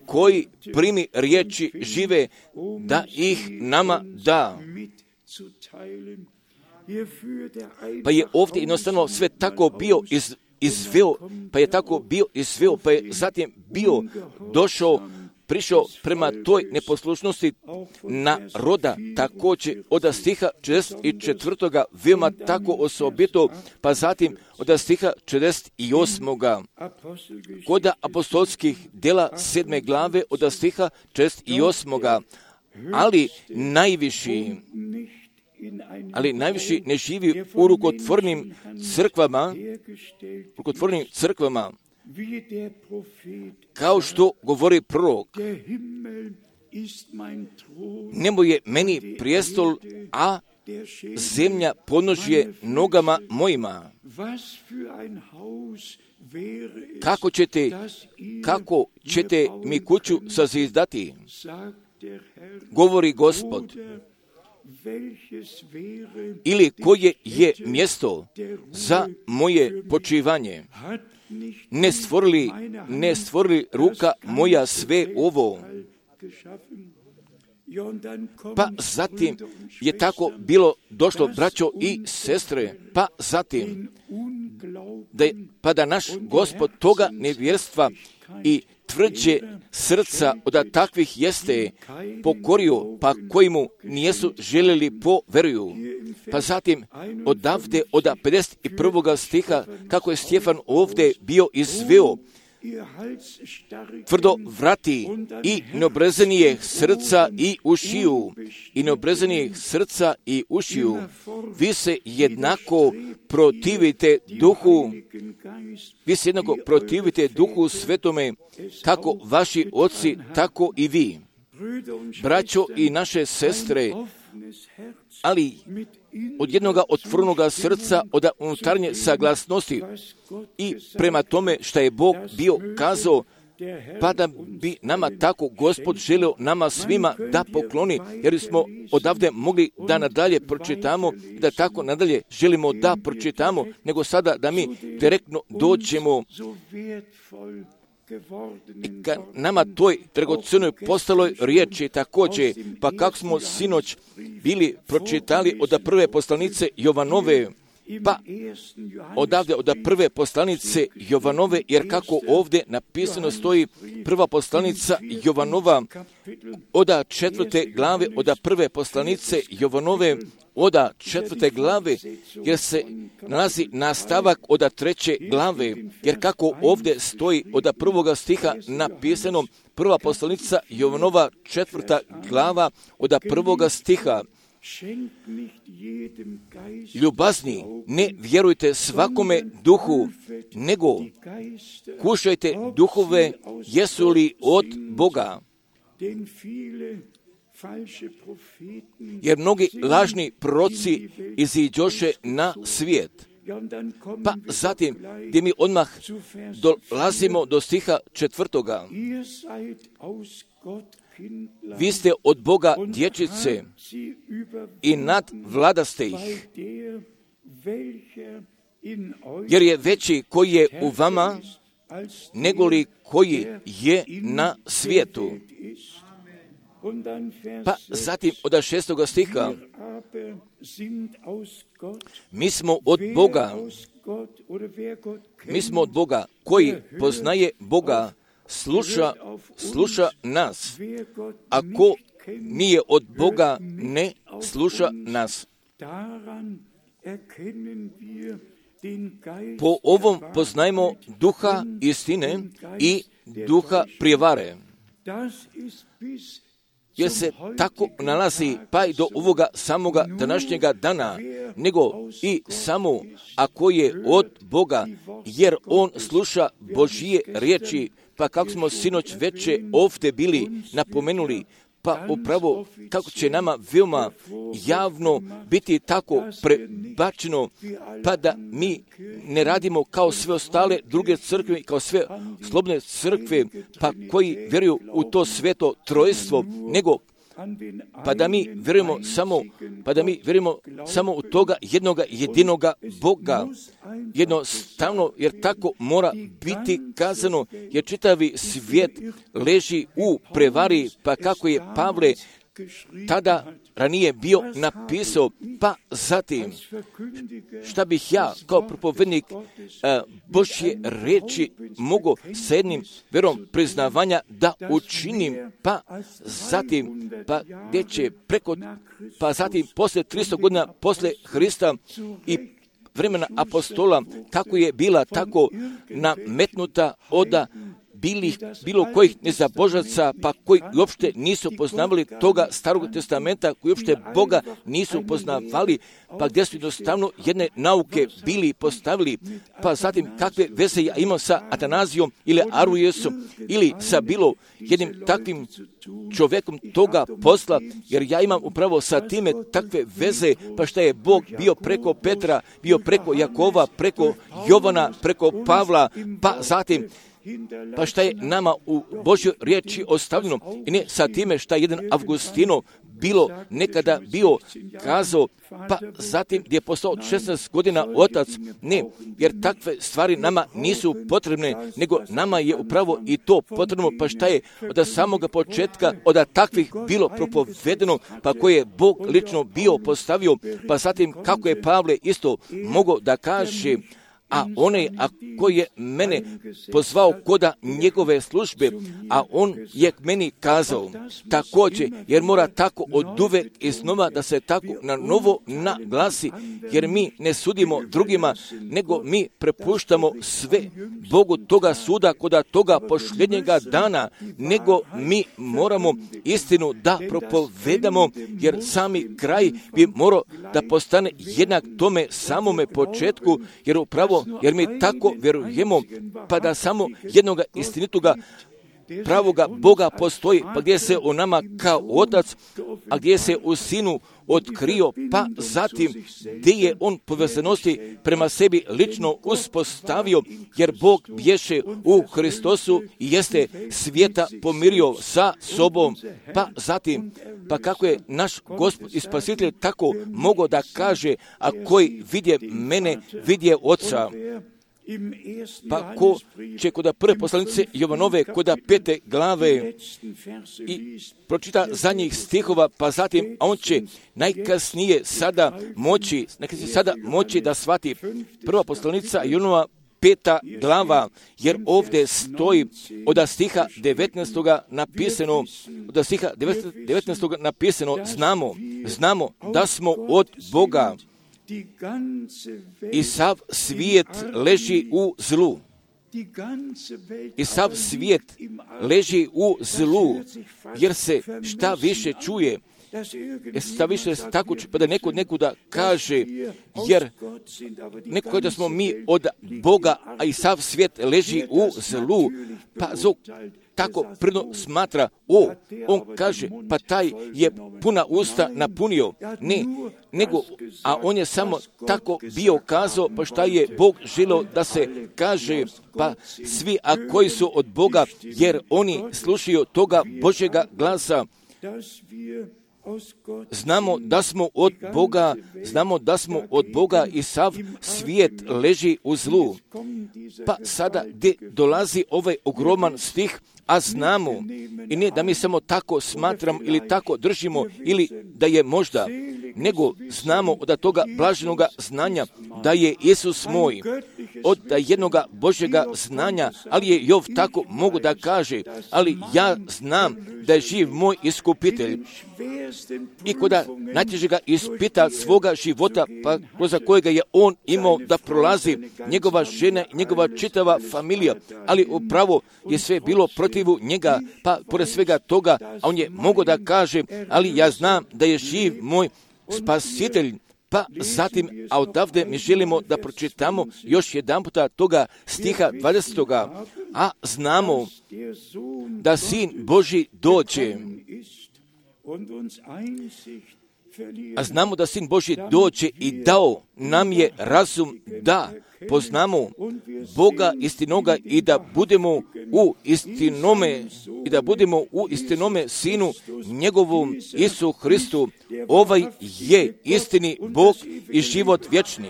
S1: koji primi riječi žive, da ih nama da. Pa je ovdje jednostavno sve tako bio izveo, pa je zatim bio došao prišao prema toj neposlušnosti naroda, također od stiha 44. veoma tako osobito, pa zatim od stiha 48. Kod apostolskih djela 7. glave od stiha 48. Ali najviši ne živi u rukotvornim crkvama, kao što govori prorok. Nebo je meni prijestol, a zemlja podnožje nogama mojima. Kako ćete mi kuću sazidati? Govori Gospod. Ili koje je mjesto za moje počivanje? Ne stvorili ruka moja sve ovo? Pa zatim je tako bilo došlo, braćo i sestre, pa zatim da naš Gospod toga nevjerstva i tvrđe srca od takvih jeste pokorio, pa koji mu nijesu željeli poveruju. Pa zatim odavde od 51. stiha, kako je Stjefan ovdje bio izveo tvrdo vrati i neobrezanijeg srca i ušiju, vi se jednako protivite duhu svetome, kako vaši oci, tako i vi. Braćo i naše sestre, ali od jednoga otvorenoga srca, od unutarnje saglasnosti i prema tome što je Bog bio kazao, pa da bi nama tako Gospod želio nama svima da pokloni, jer smo odavde mogli da nadalje pročitamo, da tako nadalje želimo da pročitamo, nego sada da mi direktno dođemo i ka nama toj dragocenoj postaloj riječi također, pa kako smo sinoć bili pročitali od prve poslanice Jovanove, pa odavde od prve poslanice Jovanove, jer kako ovdje napisano stoji prva poslanica Jovanova od 4. glave, od prve poslanice Jovanove od 4. glave, jer se nalazi nastavak od 3. glave, jer kako ovdje stoji od 1. stiha napisano prva poslanica Jovanova 4. glava od 1. stiha. Ljubazni, ne vjerujte svakome duhu, nego kušajte duhove, jesu li od Boga. Jer mnogi lažni proroci iziđoše na svijet. Pa zatim, gdje mi odmah dolazimo do stiha 4. Vi ste od Boga dječice i nadvladaste ih, jer je veći koji je u vama, negoli koji je na svijetu. Pa zatim od 6. stiha, mi smo od Boga, koji poznaje Boga, sluša nas, a ko nije od Boga, ne sluša nas. Po ovom poznajmo duha istine i duha prijevare, jer se tako nalazi pa i do ovoga samoga današnjega dana, nego i samo ako je od Boga, jer on sluša Božije riječi. Pa kako smo sinoć veče ovdje bili napomenuli, pa upravo kako će nama veoma javno biti tako prebačeno, pa da mi ne radimo kao sve ostale druge crkve, kao sve slobodne crkve, pa koji vjeruju u to sveto trojstvo, nego pa da mi vjerujemo samo u toga jednoga jedinoga Boga. Jednostavno, jer tako mora biti kazano, jer čitavi svijet leži u prevari, pa kako je Pavle tada ranije bio napisao, pa zatim šta bih ja kao propovednik Božje riječi mogu s jednim verom priznavanja da učinim, pa zatim gdje će pa zatim poslije 300 godina poslije Hrista i vremena apostola, kako je bila tako nametnuta od bilo kojih nezabožaca, pa koji uopšte nisu poznavali toga Starog testamenta, koji uopšte Boga nisu poznavali, pa gdje su jednostavno jedne nauke bili postavili, pa zatim kakve veze ja imam sa Atanazijom ili Arujesom ili sa bilo jednim takvim čovjekom toga posla, jer ja imam upravo sa time takve veze, pa šta je Bog bio preko Petra, bio preko Jakova, preko Jovana, preko Pavla, pa zatim pa šta je nama u Božjoj riječi ostavljeno i ne sa time šta je jedan Avgustino nekada bio kazao, pa zatim gdje je postao 16 godina otac, ne, jer takve stvari nama nisu potrebne, nego nama je upravo i to potrebno, pa šta je od samoga početka, od takvih bilo propovedeno, pa koje je Bog lično bio postavio, pa zatim kako je Pavle isto mogao da kaže, a onaj koji je mene pozvao koda njegove službe, a on je meni kazao također, jer mora tako oduvek iznova da se tako na novo naglasi, jer mi ne sudimo drugima, nego mi prepuštamo sve Bogu toga suda koda toga posljednjega dana, nego mi moramo istinu da propovedamo, jer sami kraj bi morao da postane jednak tome samome početku, jer mi tako vjerujemo, pa da samo jednoga istinitoga pravoga Boga postoji, pa gdje se u nama kao otac, a gdje se u sinu otkrio, pa zatim gdje je on povezanosti prema sebi lično uspostavio, jer Bog bješe u Hristosu i jeste svijeta pomirio sa sobom, pa zatim, pa kako je naš Gospod i Spasitelj tako mogao da kaže, a koji vidje mene, vidje Oca. Pa ko će koda prve poslanice Jovanove, koda 5. glave i pročita zadnjih stihova, pa zatim on će najkasnije sada moći da shvati prva poslanica Jovanova 5. glava, jer ovdje stoji od stiha 19. napisano, znamo da smo od Boga i sav svijet leži u zlu. Jer se šta više čuje, pa da nekuda kaže, jer neko da smo mi od Boga, a i sav svijet leži u zlu, pa tako pridno smatra, on kaže, pa taj je puna usta napunio, a on je samo tako bio kazao, pa šta je Bog želio da se kaže, pa svi koji su od Boga, jer oni slušaju toga Božjega glasa. Znamo da smo od Boga i sav svijet leži u zlu. Pa sada gdje dolazi ovaj ogroman stih, a znamo, i ne da mi samo tako smatramo ili tako držimo ili da je možda, nego znamo od toga blaženoga znanja da je Isus moj, od jednoga Božjega znanja, ali je Jov tako mogu da kaže, ali ja znam da je živ moj iskupitelj. I koda najtežega ispita svoga života, pa kroz kojega je on imao da prolazi, njegova žena i njegova čitava familija, ali upravo je sve bilo protivu njega, pa pored svega toga, a on je mogao da kaže, ali ja znam da je živ moj spasitelj. Pa zatim, a odavde mi želimo da pročitamo još jedan puta toga stiha 20. A znamo da Sin Božji dođe. I dao nam je razum da poznamo Boga istinoga i da budemo u istinome Sinu njegovom Isu Hristu. Ovaj je istini Bog i život vječni.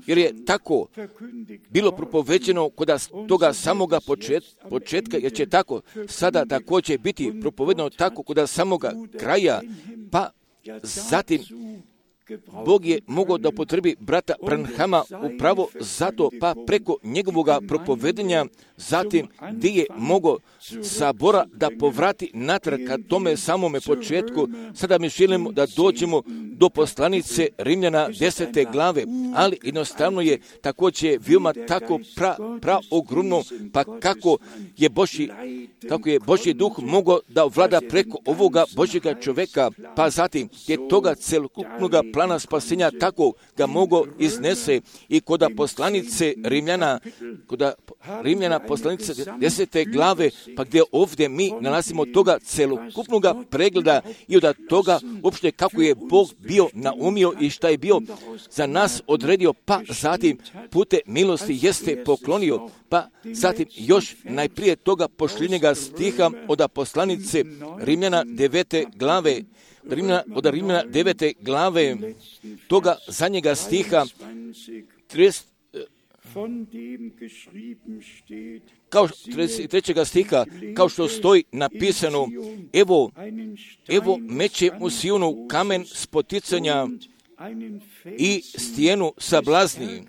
S1: jer je tako bilo propoveđeno kod toga samoga početka, jer će tako sada također biti propovedeno tako kod samoga kraja, pa zatim Bog je mogao da upotrebi brata Branhama upravo zato, pa preko njegovoga propovedenja, zatim gdje je mogao sabora da povrati natrag ka tome samome početku. Sada mi želimo da dođemo do poslanice Rimljana 10. glave, ali jednostavno je također veoma tako ogromno, pa kako je Božji duh mogao da vlada preko ovoga Božjega čovjeka, pa zatim je toga celokupnog plana spasenja tako ga mogao iznese i kod poslanice Rimljana poslanice 10. glave, pa gdje ovdje mi nalazimo toga celokupnog pregleda i od toga uopšte kako je Bog bio naumio i šta je bio za nas odredio, pa zatim pute milosti jeste poklonio, pa zatim još najprije toga pošljenjega stiha od poslanice Rimljana 9. glave, od Rimljana 9. glave, toga zadnjega stiha, 33. stiha, kao što stoji napisano, evo meće u Sionu kamen spoticanja i stijenu sablazni,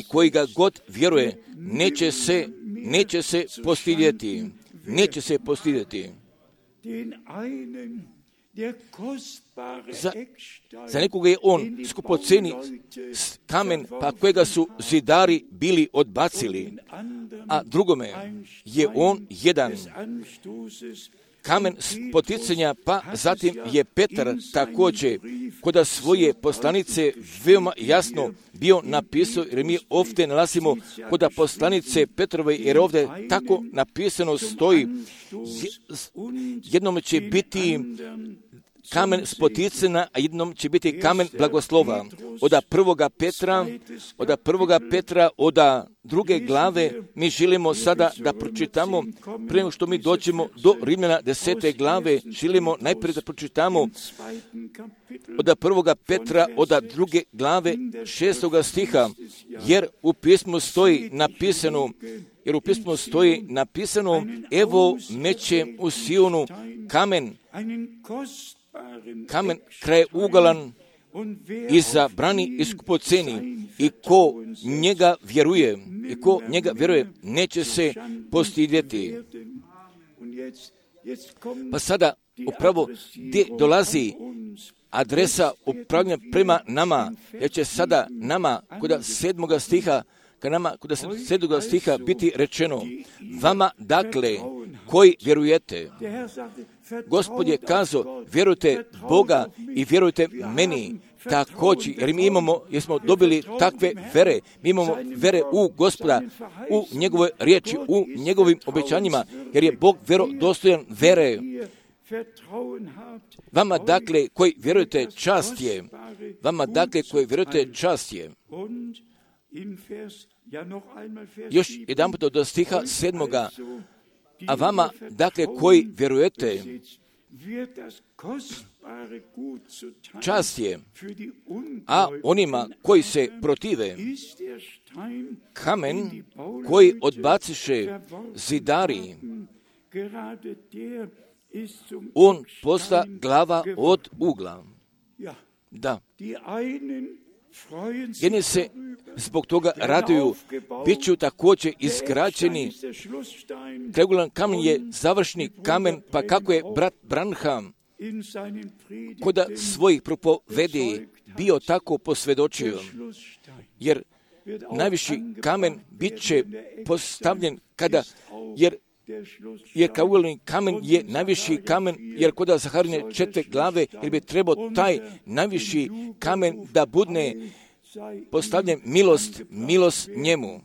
S1: koji ga god vjeruje, neće se postidjeti. Neće se postidjeti. Za nekoga je on skupoceni kamen, pa kojega su zidari bili odbacili, a drugome je on jedan kamen spoticanja, pa zatim je Petar također kod svoje poslanice veoma jasno bio napisao, jer mi ovdje nalazimo kod poslanice Petrove, jer ovdje tako napisano stoji, jednom će biti kamen spoticanja, a jednom će biti kamen blagoslova. Od prvoga Petra, od druge glave, mi želimo sada da pročitamo, prije nego što mi dođemo do Rimljana 10. glave, želimo najprije da pročitamo od prvoga Petra, od druge glave, 6. stiha, jer u pismu stoji napisano, evo meće u Sionu kamen krajeuglan i zabrani i skupoceni, i ko njega vjeruje, neće se postidjeti. Pa sada upravo gdje dolazi adresa upravljanja prema nama, jer će sada nama kod 7. stiha biti rečeno, vama dakle koji vjerujete. Gospod je kazao, vjerujte Boga i vjerujte meni također, jer smo dobili takve vere. Mi imamo vere u Gospoda, u njegove riječi, u njegovim obećanjima, jer je Bog vjerodostojan vere. Vama dakle koji vjerujete čast je. Još jedan put do stiha 7. A vama, dakle, koji vjerujete, čast je, a onima koji se protive, kamen koji odbaciše zidari, on posta glava od ugla. Da. Jedni se zbog toga raduju, bit ću također izgrađeni. Krajeuglan kamen je završni kamen, pa kako je brat Branham kod svojih propovedi bio tako posvjedočio, jer najviši kamen bit će postavljen jer krajeuglan kamen je najviši kamen, jer kod Zaharine 4. glave, jer bi trebao taj najviši kamen da bude postavljen milost njemu.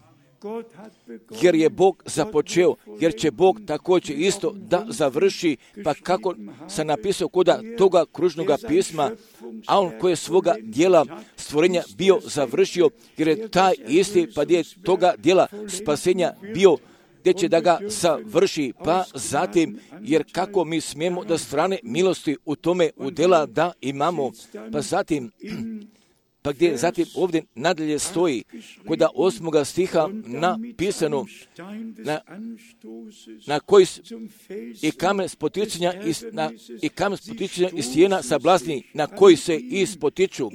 S1: Jer je Bog započeo, jer će Bog također isto da završi, pa kako sam napisao kod toga kružnoga pisma, a on koji je svoga dijela stvorenja bio završio, jer je taj isti, pa je toga dijela spasenja bio gdje će da ga savrši, pa zatim, jer kako mi smijemo da strane milosti u tome udjela da imamo, pa zatim, pa gdje zatim ovdje nadalje stoji, kod 8. stiha napisano, na koji i kamen spoticanja i stijena sablazni, na koji se ispotiču,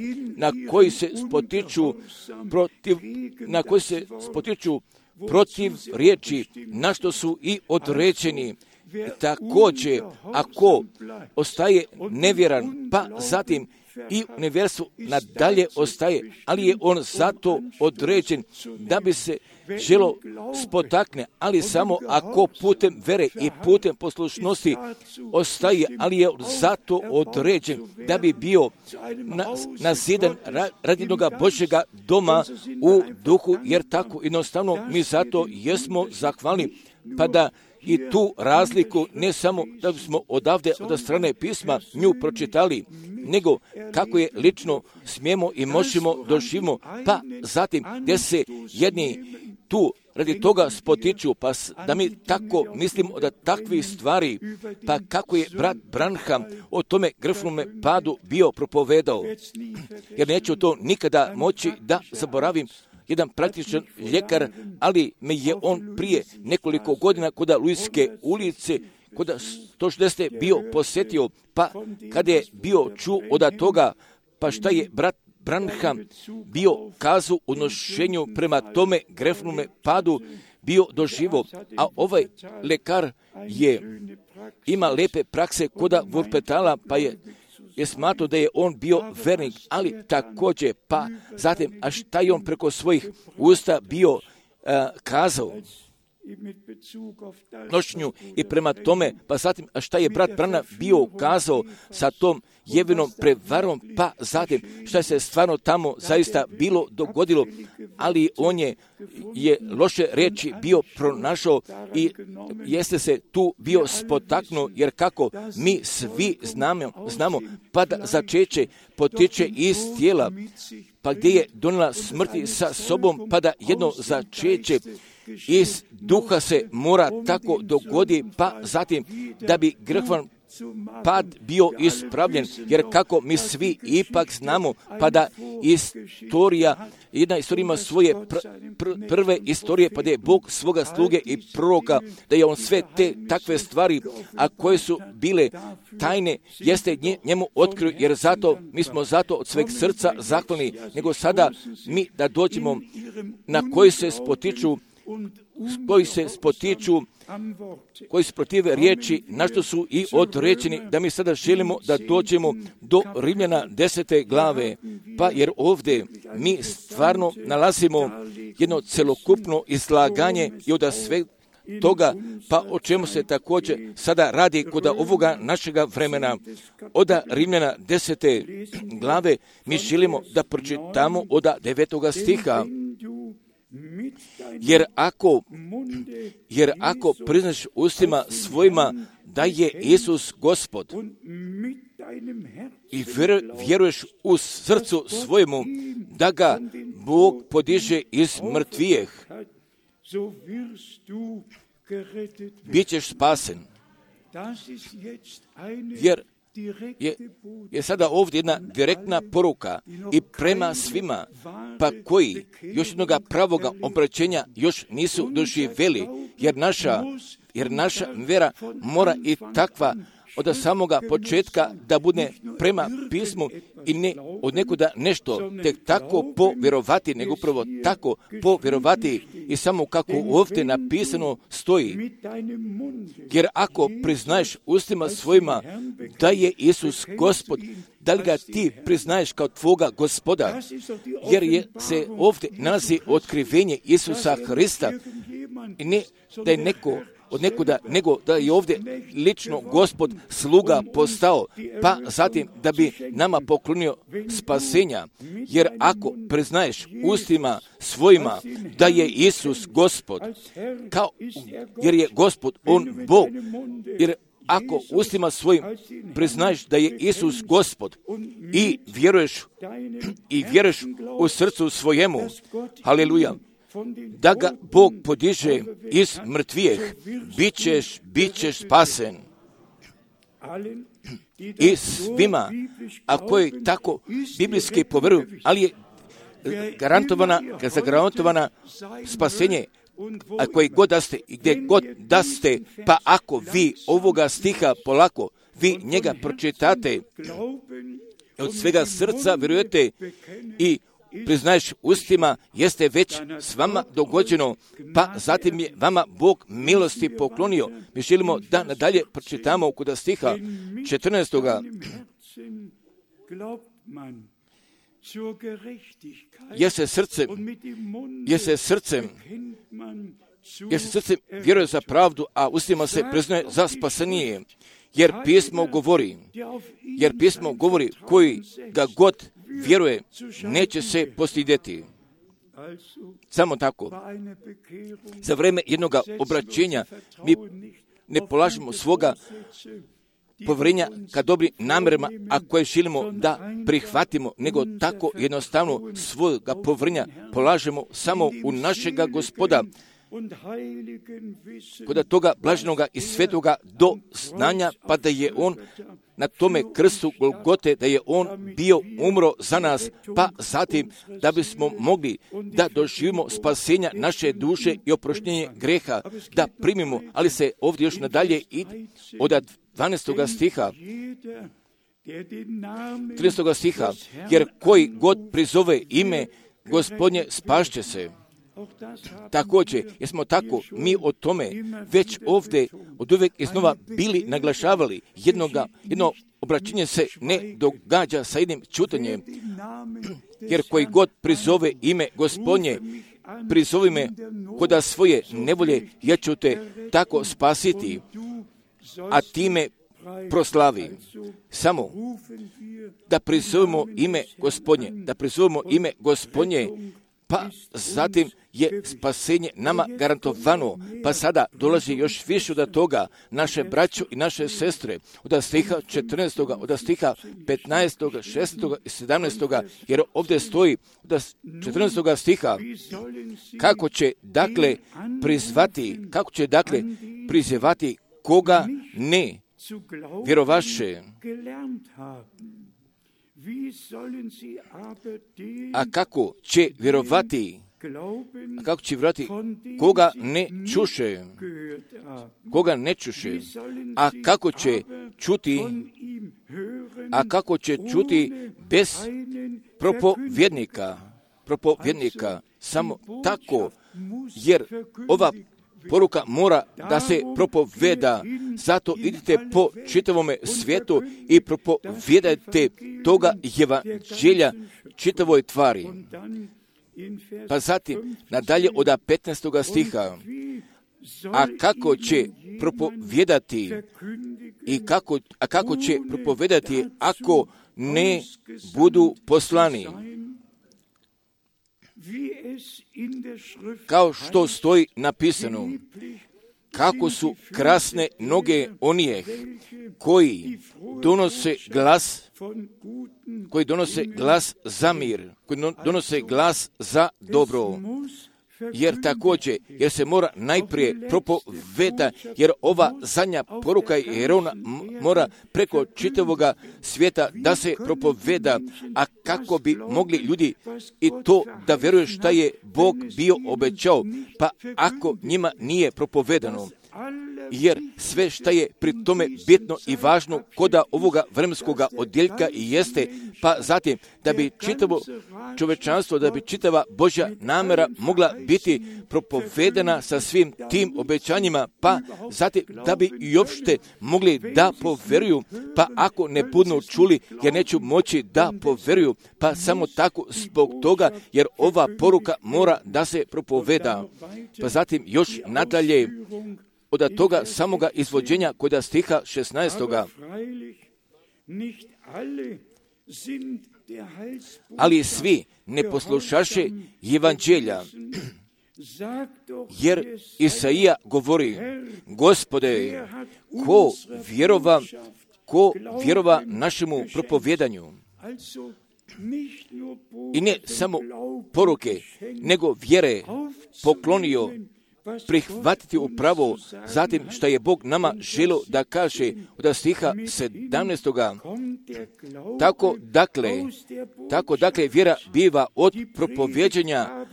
S1: protiv riječi, na što su i određeni. Također, ako ostaje nevjeran, pa zatim i u nevjerstvu nadalje ostaje, ali je on zato određen da bi se želo spotakne, ali samo ako putem vere i putem poslušnosti ostaje, ali je zato određen da bi bio nazidan radi jednoga Božjega doma u duhu, jer tako jednostavno mi zato jesmo zahvalni, pa da i tu razliku ne samo da bismo odavde od strane pisma nju pročitali, nego kako je lično smijemo i možemo doživimo, pa zatim gdje se jedni tu radi toga spotiču, pa da mi tako mislimo da takvih stvari, pa kako je brat Branham o tome grfnome padu bio propovedao, jer neću to nikada moći da zaboravim. Jedan praktičan ljekar, ali me je on prije nekoliko godina kod Luiske ulice, kod 160. bio posjetio, pa kada je bio čuo od toga, pa šta je brat Branham bio kazao u nošenju prema tome grefnome padu bio doživo, a ovaj lekar ima lepe prakse kod Wuppertala, pa je smatrao da je on bio vernik, ali također, pa zatim, a šta je on preko svojih usta bio kazao nošnju i prema tome, pa zatim, a šta je brat Branham bio kazao sa tom jevinom prevarom, pa zatim, šta se stvarno tamo zaista bilo dogodilo, ali on je loše riječi bio pronašao i jeste se tu bio spotaknuo, jer kako mi svi znamo, pa da začeće potiče iz tijela, pa gdje je donijela smrti sa sobom, pa da jedno začeće iz duha se mora tako dogodi, pa zatim da bi grehvan pad bio ispravljen, jer kako mi svi ipak znamo, pa da jedna istorija ima svoje prve istorije, pa da je Bog svoga sluge i proroka, da je on sve te takve stvari, a koje su bile tajne, jeste njemu otkrio, jer zato, mi smo zato od sveg srca zahvalni, nego sada mi da dođemo na koji se spotiču, koji se protive riječi, na što su i određeni, da mi sada želimo da dođemo do Rimljana 10. glave, pa jer ovdje mi stvarno nalazimo jedno celokupno izlaganje i od sve toga, pa o čemu se također sada radi kod ovoga našega vremena. Od Rimljana 10. glave mi želimo da pročitamo od 9. stiha. Jer ako priznaš ustima svojima da je Isus Gospod i vjeruješ u srcu svojemu da ga Bog podiže iz mrtvijeh, bit ćeš spasen. Jer je sada ovdje jedna direktna poruka i prema svima, pa koji još jednoga pravoga obraćenja još nisu doživjeli, jer naša vera mora i takva od samoga početka da bude prema pismu i ne od nekuda nešto tek tako povjerovati, nego upravo tako povjerovati i samo kako ovdje napisano stoji. Jer ako priznaješ ustima svojima da je Isus Gospod, da li ga ti priznaješ kao tvoga Gospoda, jer se ovdje nalazi otkrivenje Isusa Hrista i ne da je neko od nekuda, nego da je ovdje lično Gospod sluga postao, pa zatim da bi nama poklonio spasenja. Jer ako priznaješ ustima svojima da je Isus Gospod, jer je Gospod, on Bog, jer ako ustima svojim priznaješ da je Isus Gospod i vjeruješ u srcu svojemu, haleluja, da ga Bog podiže iz mrtvijeh, bit ćeš spasen. I svima, a koji tako biblijski poveruju, ali je zagarantovana spasenje, a koji god da ste i gdje god da ste, pa ako vi ovoga stiha polako, vi njega pročitate, od svega srca vjerujete i priznaješ ustima, jeste već s vama dogođeno, pa zatim je vama Bog milosti poklonio. Mi želimo da nadalje pročitamo kod stiha 14. Jer se srcem vjeruje za pravdu, a ustima se priznaje za spasenije. Jer pismo govori koji ga god vjeruje, neće se postidjeti. Samo tako. Za vrijeme jednog obraćenja mi ne polažemo svoga povjerenja ka dobrim namjerama, a koje želimo da prihvatimo, nego tako jednostavno svoga povjerenja polažemo samo u našega Gospoda, kod toga blaženoga i svetoga do znanja, pa da je on na tome krstu Golgote, da je on bio umro za nas, pa zatim da bismo mogli da doživimo spasenja naše duše i oproštenje greha, da primimo, ali se ovdje još nadalje i od 12. stiha, 13. stiha, jer koji god prizove ime Gospodnje spašće se. Također, jer smo tako mi o tome već ovdje od uvijek iznova bili naglašavali, jedno obraćenje se ne događa sa jednim čutanjem, jer koji god prizove ime Gospodnje, prizovi me koda svoje nevolje, ja ću te tako spasiti, a time proslavi. Samo da prizovemo ime Gospodnje, pa zatim je spasenje nama garantovano, pa sada dolazi još više od toga, naše braćo i naše sestre, od stiha 14. od stiha 15. 16. i 17. jer ovdje stoji od 14. stiha, kako će dakle prizivati koga ne vjerovaše. A kako će vjerovati koga ne čuše? A kako će čuti bez propovjednika? Samo tako, jer ova poruka mora da se propoveda, zato idite po čitavome svijetu i propovijedajte toga evanđelja čitavoj tvari. Pa zatim, nadalje od 15. stiha, a kako će propovijedati ako ne budu poslani? Kao što stoji napisano, kako su krasne noge onih koji donose glas za mir, koji donose glas za dobro. Jer se mora najprije propoveda, jer ova zadnja poruka, jer ona mora preko čitavoga svijeta da se propoveda, a kako bi mogli ljudi i to da vjeruju šta je Bog bio obećao, pa ako njima nije propovedano. Jer sve šta je pri tome bitno i važno koda ovoga vremenskoga odjeljka i jeste, pa zatim da bi čitavo čovečanstvo, da bi čitava Božja namjera mogla biti propovedana sa svim tim obećanjima, pa zatim da bi i uopšte mogli da poveruju, pa ako ne budu čuli, jer neću moći da poveruju, pa samo tako zbog toga, jer ova poruka mora da se propoveda. Pa zatim još nadalje, od toga samoga izvođenja kod stiha 16. Ali svi ne poslušaše evanđelja, jer Isaija govori, Gospode, ko vjerova našemu propovjedanju? i ne samo poruke, nego vjere poklonio prihvatiti upravo zatim što je Bog nama želio da kaže od stiha 17. Tako dakle vjera biva od propovjeđanja,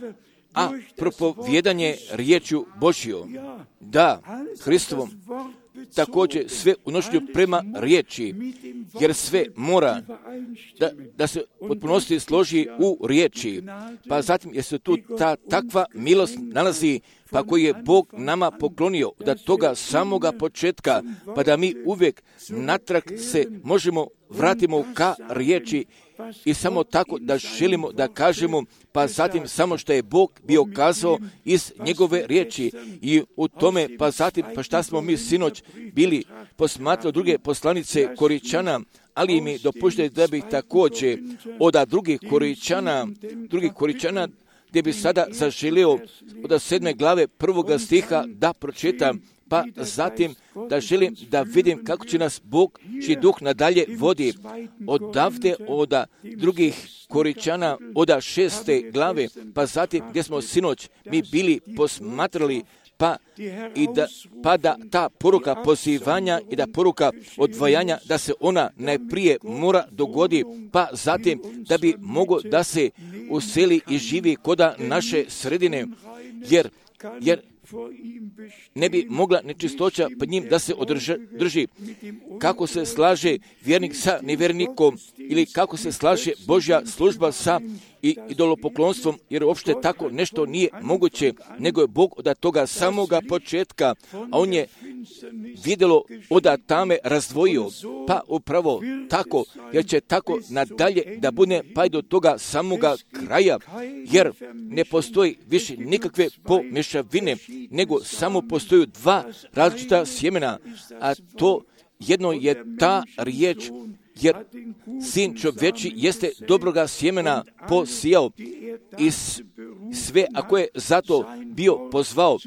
S1: a propovjedanje riječju Božjom. Da, Hristovom također sve unošenju prema riječi, jer sve mora da se potpunosti složi u riječi. Pa zatim jer se tu ta takva milost nalazi, pa koji je Bog nama poklonio da toga samoga početka, pa da mi uvijek natrag se možemo vratimo ka riječi i samo tako da želimo da kažemo, pa zatim samo što je Bog bio kazao iz njegove riječi i u tome, pa zatim, pa šta smo mi sinoć bili posmatrali druge poslanice Koričana, ali mi dopuštajte da bih također od drugih Koričana, gdje bi sada zaželio od 7. glave 1. stiha da pročitam, pa zatim da želim da vidim kako će nas Bog čiji duh nadalje vodi. Odavde od drugih Koričana od 6. glave, pa zatim gdje smo sinoć mi bili posmatrali, pa da ta poruka pozivanja i da poruka odvajanja, da se ona najprije mora dogodi, pa zatim da bi moglo da se useli i živi koda naše sredine, jer ne bi mogla nečistoća pred njim da se drži. Kako se slaže vjernik sa nevjernikom ili kako se slaže Božja služba sa idolopoklonstvom, jer uopšte tako nešto nije moguće, nego je Bog od toga samoga početka, a on je vidjelo od tame razdvojio, pa upravo tako, jer će tako nadalje da bude pa i do toga samoga kraja, jer ne postoji više nikakve pomješavine, nego samo postoju dva različita sjemena, a to jedno je ta riječ, jer sin čovječi jeste dobroga sjemena posijao i sve ako je zato bio pozvao,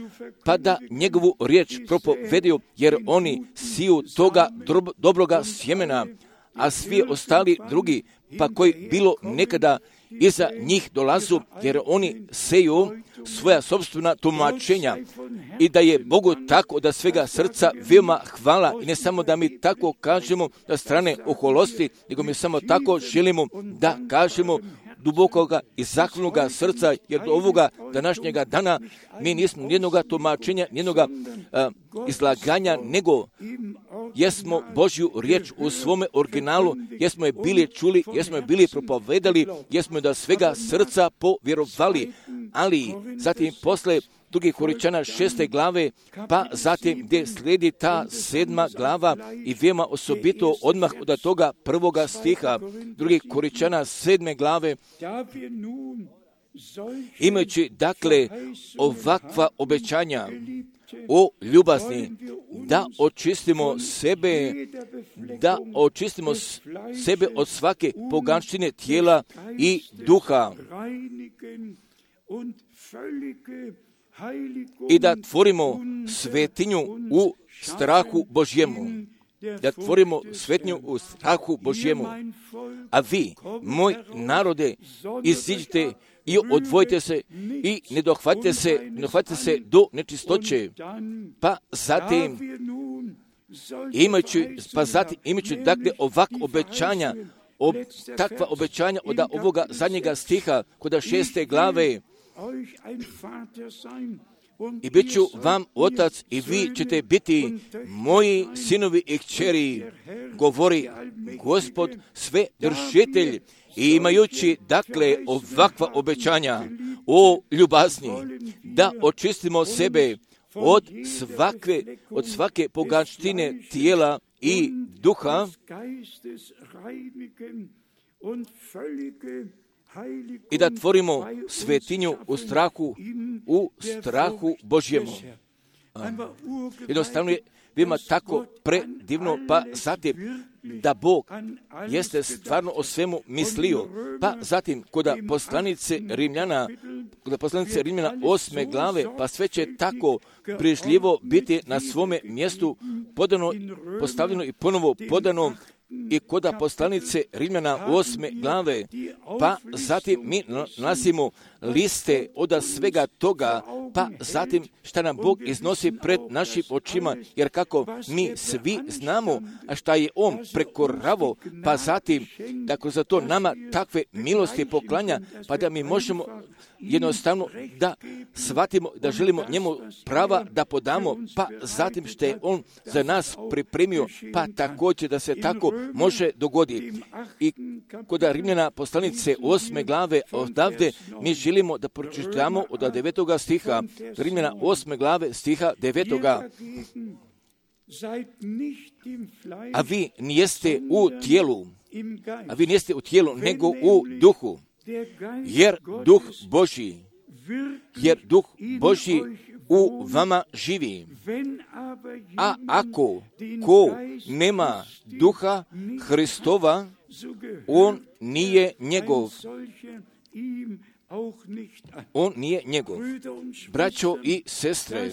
S1: pa da njegovu riječ propovedio, jer oni siju toga dobroga sjemena, a svi ostali drugi, pa koji bilo nekada iza njih dolazu, jer oni seju svoja sopstvena tumačenja i da je Bogu tako da svega srca veoma hvala i ne samo da mi tako kažemo da strane oholosti, nego mi samo tako želimo da kažemo dubokoga i zahvalnoga srca, jer do ovoga današnjega dana mi nismo nijednoga tumačenja, nijednoga izlaganja, nego jesmo Božju riječ u svome originalu, jesmo je bili čuli, jesmo je bili propovedali, jesmo je da svega srca povjerovali, ali zatim posle drugih Koričana 6. glave, pa zatim gdje slijedi ta 7. glava i veoma osobito odmah od toga 1. stiha drugih Koričana 7. glave, imajući dakle ovakva obećanja o ljubazni, da očistimo sebe od svake poganštine tijela i duha i da tvorimo svetinju u strahu Božjemu. Da tvorimo svetinju u strahu Božjemu. A vi, moj narode, iziđite i odvojite se i ne dohvatite se do nečistoće. Pa zatim, imajući dakle ovak obećanja, takva obećanja od ovoga zadnjega stiha, kod 6. glave, i bit ću vam otac i vi ćete biti moji sinovi i kćeri, govori Gospod sve držitelj. I imajući dakle ovakva obećanja o ljubazni, da očistimo sebe od svake poganštine tijela i duha i da tvorimo svetinju u strahu Božjemu. Jednostavno je veoma tako predivno, pa zatim da Bog jeste stvarno o svemu mislio, pa zatim kod poslanice Rimljana 8. glave, pa sve će tako prižljivo biti na svome mjestu podano, postavljeno i ponovo podano, i koda poslanice Rimljana 8. glave, pa zatim mi nalazimo liste od svega toga, pa zatim šta nam Bog iznosi pred našim očima, jer kako mi svi znamo, a šta je On prekoravo, pa zatim da kroz to nama takve milosti poklanja, pa da mi možemo jednostavno da shvatimo, da želimo njemu prava da podamo, pa zatim što je On za nas pripremio, pa također da se tako može dogoditi. I kod Rimljana poslanice 8. glave odavde mi želimo da pročitamo od 9. stiha, Rimljana 8. glave stiha 9. A vi nijeste u tijelu, nego u duhu, jer duh Božji u vama živi. A ako ko nema duha Hristova, on nije njegov. On nije njegov. Braćo i sestre,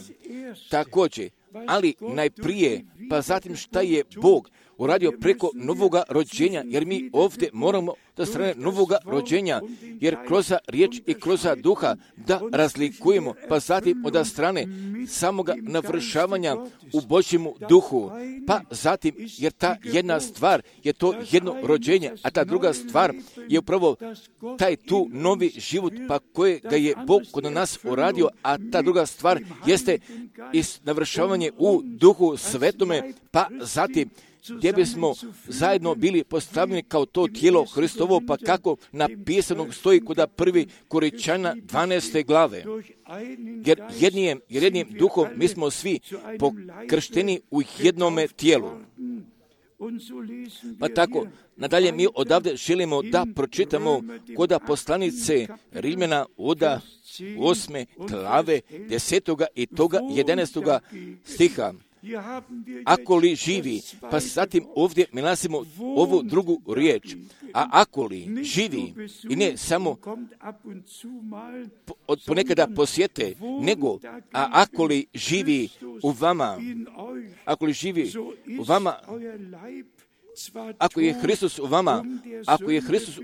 S1: također, ali najprije, pa zatim šta je Bog uradio preko novoga rođenja, jer mi ovdje moramo da strane novoga rođenja, jer kroz riječ i kroz duha da razlikujemo, pa zatim od strane samoga navršavanja u Božjemu duhu, pa zatim, jer ta jedna stvar je to jedno rođenje, a ta druga stvar je upravo taj tu novi život, pa kojega je Bog kod nas uradio, a ta druga stvar jeste navršavanje u duhu svetome, pa zatim gdje bismo zajedno bili postavljeni kao to tijelo Hristovo, pa kako napisano stoji kod 1. Korinčana 12. glave. Jer jednim duhom mi smo svi pokršteni u jednome tijelu. Pa tako, nadalje mi odavde želimo da pročitamo kod poslanice Rimljana od 8. glave 10. i toga 11. stiha. Ako li živi, pa zatim ovdje mi nalazimo ovu drugu riječ, a ako li živi, i ne samo ponekada posjete, nego, a ako li živi u vama, ako je Hristos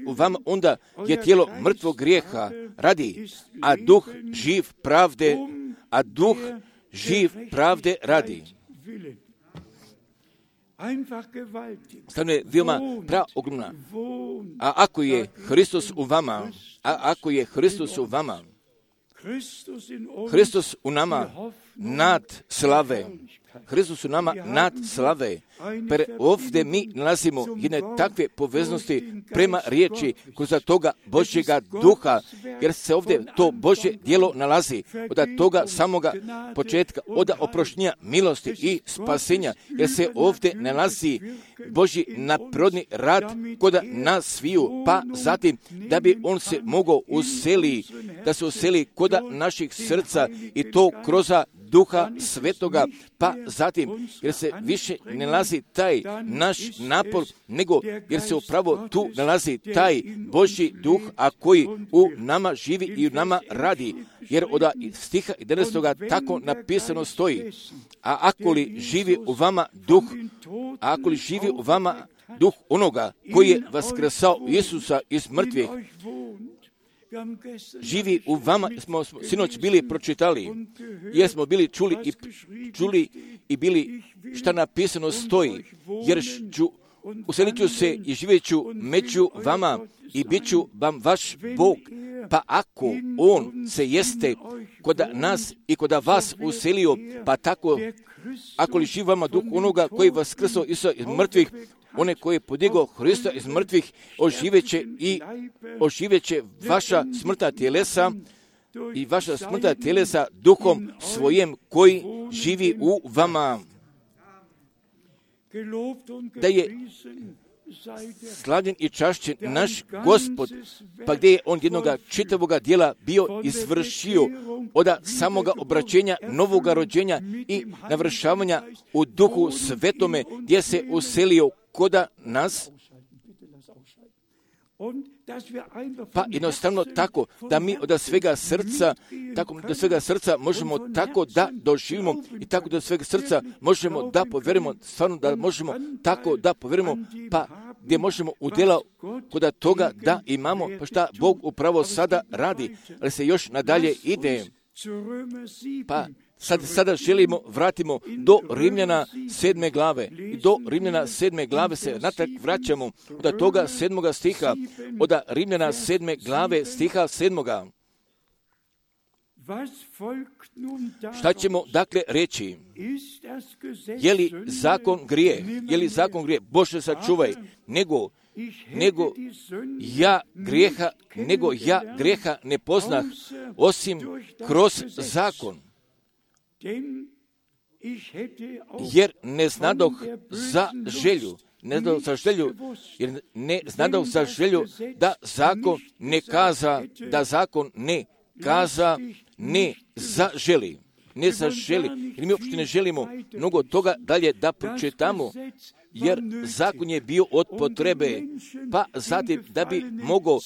S1: u vama, onda je tijelo mrtvog grijeha radi, a duh živ pravde radi. Stavno je veoma praogromna. A ako je Hristos u vama, Hristos u nama nad slave. Hristos u nama nad slave. Per ovdje mi nalazimo jedne takve poveznosti prema riječi kroz toga Božjega duha, jer se ovdje to Božje djelo nalazi od toga samoga početka, od oproštenja milosti i spasenja, jer se ovdje nalazi Božji nadprirodni rad kod nas sviju, pa zatim da bi on se mogao da se useli kod naših srca i to kroz Duha Svetoga, pa zatim, jer se više ne nalazi taj naš napor, nego jer se upravo tu nalazi taj Božji duh, a koji u nama živi i u nama radi. Jer od stiha 11. tako napisano stoji, a ako li živi u vama duh onoga koji je vaskrsao Isusa iz mrtvih, živi u vama, smo sinoć bili pročitali, jer smo bili čuli i bili šta napisano stoji, jer uselit ću se i živjet ću među vama i bit ću vam vaš Bog. Pa ako on se jeste kod nas i kod vas uselio, pa tako, ako li živi vama duh onoga koji vaskrsao Isusa iz mrtvih, one koji je podigao Hrista iz mrtvih, oživjeće vaša smrtna tjelesa i vaša smrtna tjelesa duhom svojim koji živi u vama. Da je slavljen i čašćen naš Gospod, pa gdje je on jednoga čitavoga dijela bio izvršio od samoga obraćenja, novoga rođenja i navršavanja u Duhu Svetome, gdje se uselio koda nas. Pa jednostavno tako da mi od svega srca možemo tako da doživimo i tako da od svega srca možemo da povjerimo, stvarno da možemo tako da povjerimo, pa gdje možemo udjela kod toga da imamo, pa šta Bog upravo sada radi, ali se još nadalje ide. Pa sada vratimo do Rimljana 7. glave. I do Rimljana 7. glave se natrag vraćamo od toga 7. stiha, od Rimljana 7. glave stiha 7. Šta ćemo dakle reći? Je li zakon grije? Je li zakon grije? Bože sačuvaj, nego ja grijeha ne poznah osim kroz zakon. Jer ne znadoh za želju, da zakon ne kaza ne zaželi. Jer mi uopšte ne želimo mnogo toga dalje da pročitamo, jer zakon je bio od potrebe, pa zatim da bi mogao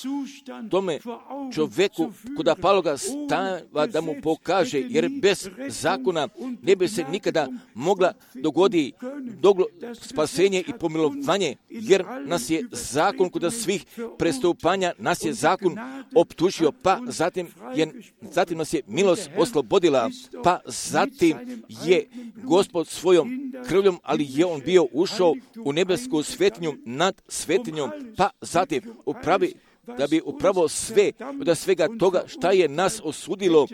S1: tome čovjeku kod Paloga stava da mu pokaže, jer bez zakona ne bi se nikada mogla dogoditi spasenje i pomilovanje, jer nas je zakon kod svih prestupanja, nas je zakon optužio, pa zatim nas je milost oslobodila, pa zatim je Gospod svojom krvljom, ali je on bio ušao u nebesku svetinju nad svetinjom, pa zatim da bi upravo sve od svega toga šta je nas osudilo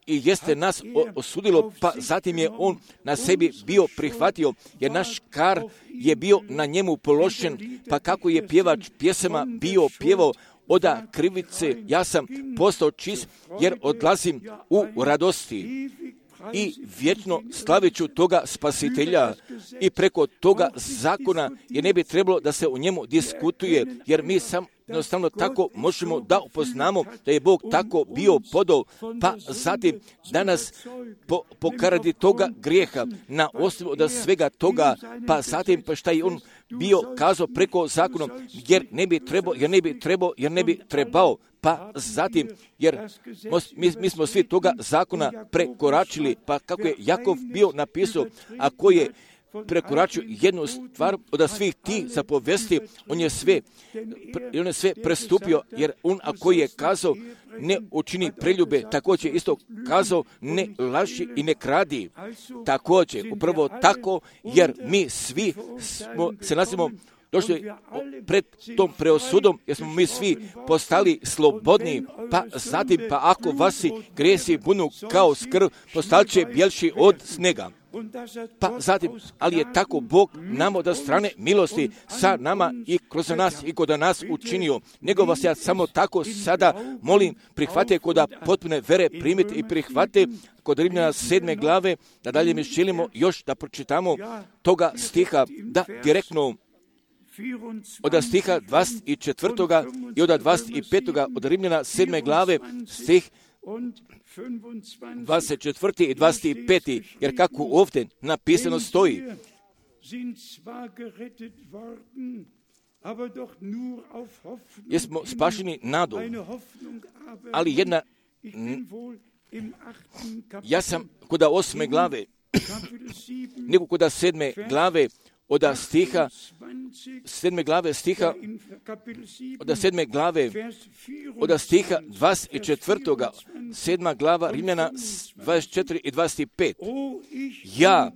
S1: i jeste nas osudilo, pa zatim je on na sebi bio prihvatio, jer naš kar je bio na njemu položen, pa kako je pjevač pjesama bio pjevao, od krivice ja sam postao čist, jer odlazim u radosti. I vječno slavit ću toga spasitelja i preko toga zakona, jer ne bi trebalo da se o njemu diskutuje, jer mi sam jednostavno tako možemo da upoznamo da je Bog tako bio podao, pa zatim danas pokaradi toga grijeha na osnovu od svega toga, pa zatim pa šta je on bio kazao preko zakona, jer ne bi trebao, pa zatim, jer mi smo svi toga zakona prekoračili, pa kako je Jakov bio napisao, a ko je prekoračio jednu stvar od svih tih zapovesti, on je sve prestupio, jer on ako je kazao ne učini preljube, također isto kazao ne laži i ne kradi. Također, upravo tako, jer mi svi se nalazimo došli pred tom preosudom, jer smo mi svi postali slobodni, pa zatim, pa ako vasi grijesi bunu kao skrv, postat će bjelši od snega. Pa zatim, ali je tako Bog nam od strane milosti sa nama i kroz nas i kod nas učinio. Nego vas ja samo tako sada molim, prihvate kod potpune vere, primite i prihvate kod Rimljana 7. glave, da dalje mi želimo još da pročitamo toga stiha, da direktno od stiha 24. i od 25. od Rimljana 7. glave, stih 24. i 25. Jer kako ovdje napisano stoji, jesmo spašeni nadom, ali jedna, ja sam kod 8. glave, nego kod 7. glave, od stiha 7. glave stiha od 7. glave od stiha 24. 7. glava Rimljana 24 i 25. Ja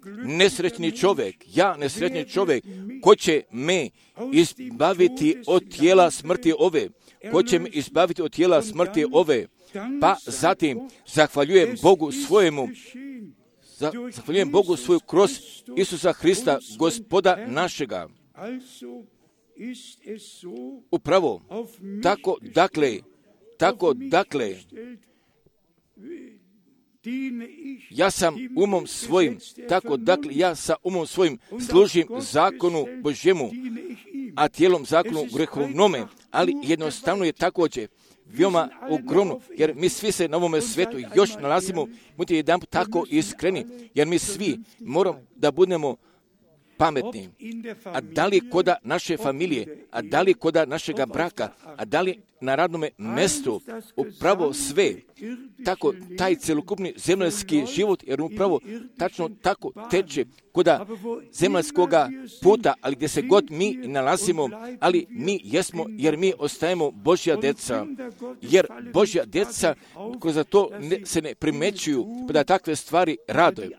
S1: nesretni čovjek, ko će me izbaviti od tijela smrti ove? Ko će me izbaviti od tijela smrti ove? Pa zatim zahvaljujem Bogu svojemu kroz Isusa Hrista, Gospoda našega. Upravo, tako dakle, ja sam umom svojim služim zakonu Božjemu, a tijelom zakonu grehovnome, ali jednostavno je također veoma ogromno, jer mi svi se na ovome svetu još nalazimo, budite jedan tako iskreni, jer mi svi moramo da budemo pametni, a da li koda naše familije, a da li koda našega braka, a da li na radnom mjestu, upravo sve, tako taj celokupni zemaljski život, jer upravo tačno tako teče koda zemaljskoga puta, ali gdje se god mi nalazimo, ali mi jesmo, jer mi ostajemo Božja djeca, jer Božja djeca koji za to se ne primećuju, pa da takve stvari rade,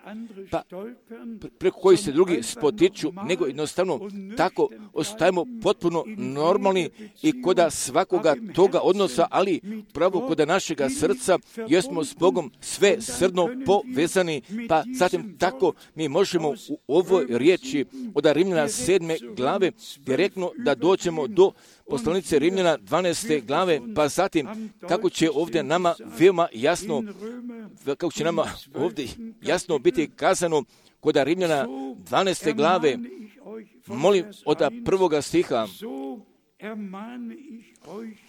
S1: pa preko koji se drugi spotiču, nego jednostavno tako ostajemo potpuno normalni i koda svakoga toga odnosa, ali pravo koda našega srca jesmo s Bogom sve srdno povezani, pa zatim tako mi možemo u ovoj riječi od Rimljana 7. glave direktno da dođemo do poslanice Rimljana 12. glave, pa zatim kako će ovdje nama veoma jasno, kako će nama ovdje jasno biti kazano kod Rimljana 12. glave, molim od prvoga stiha,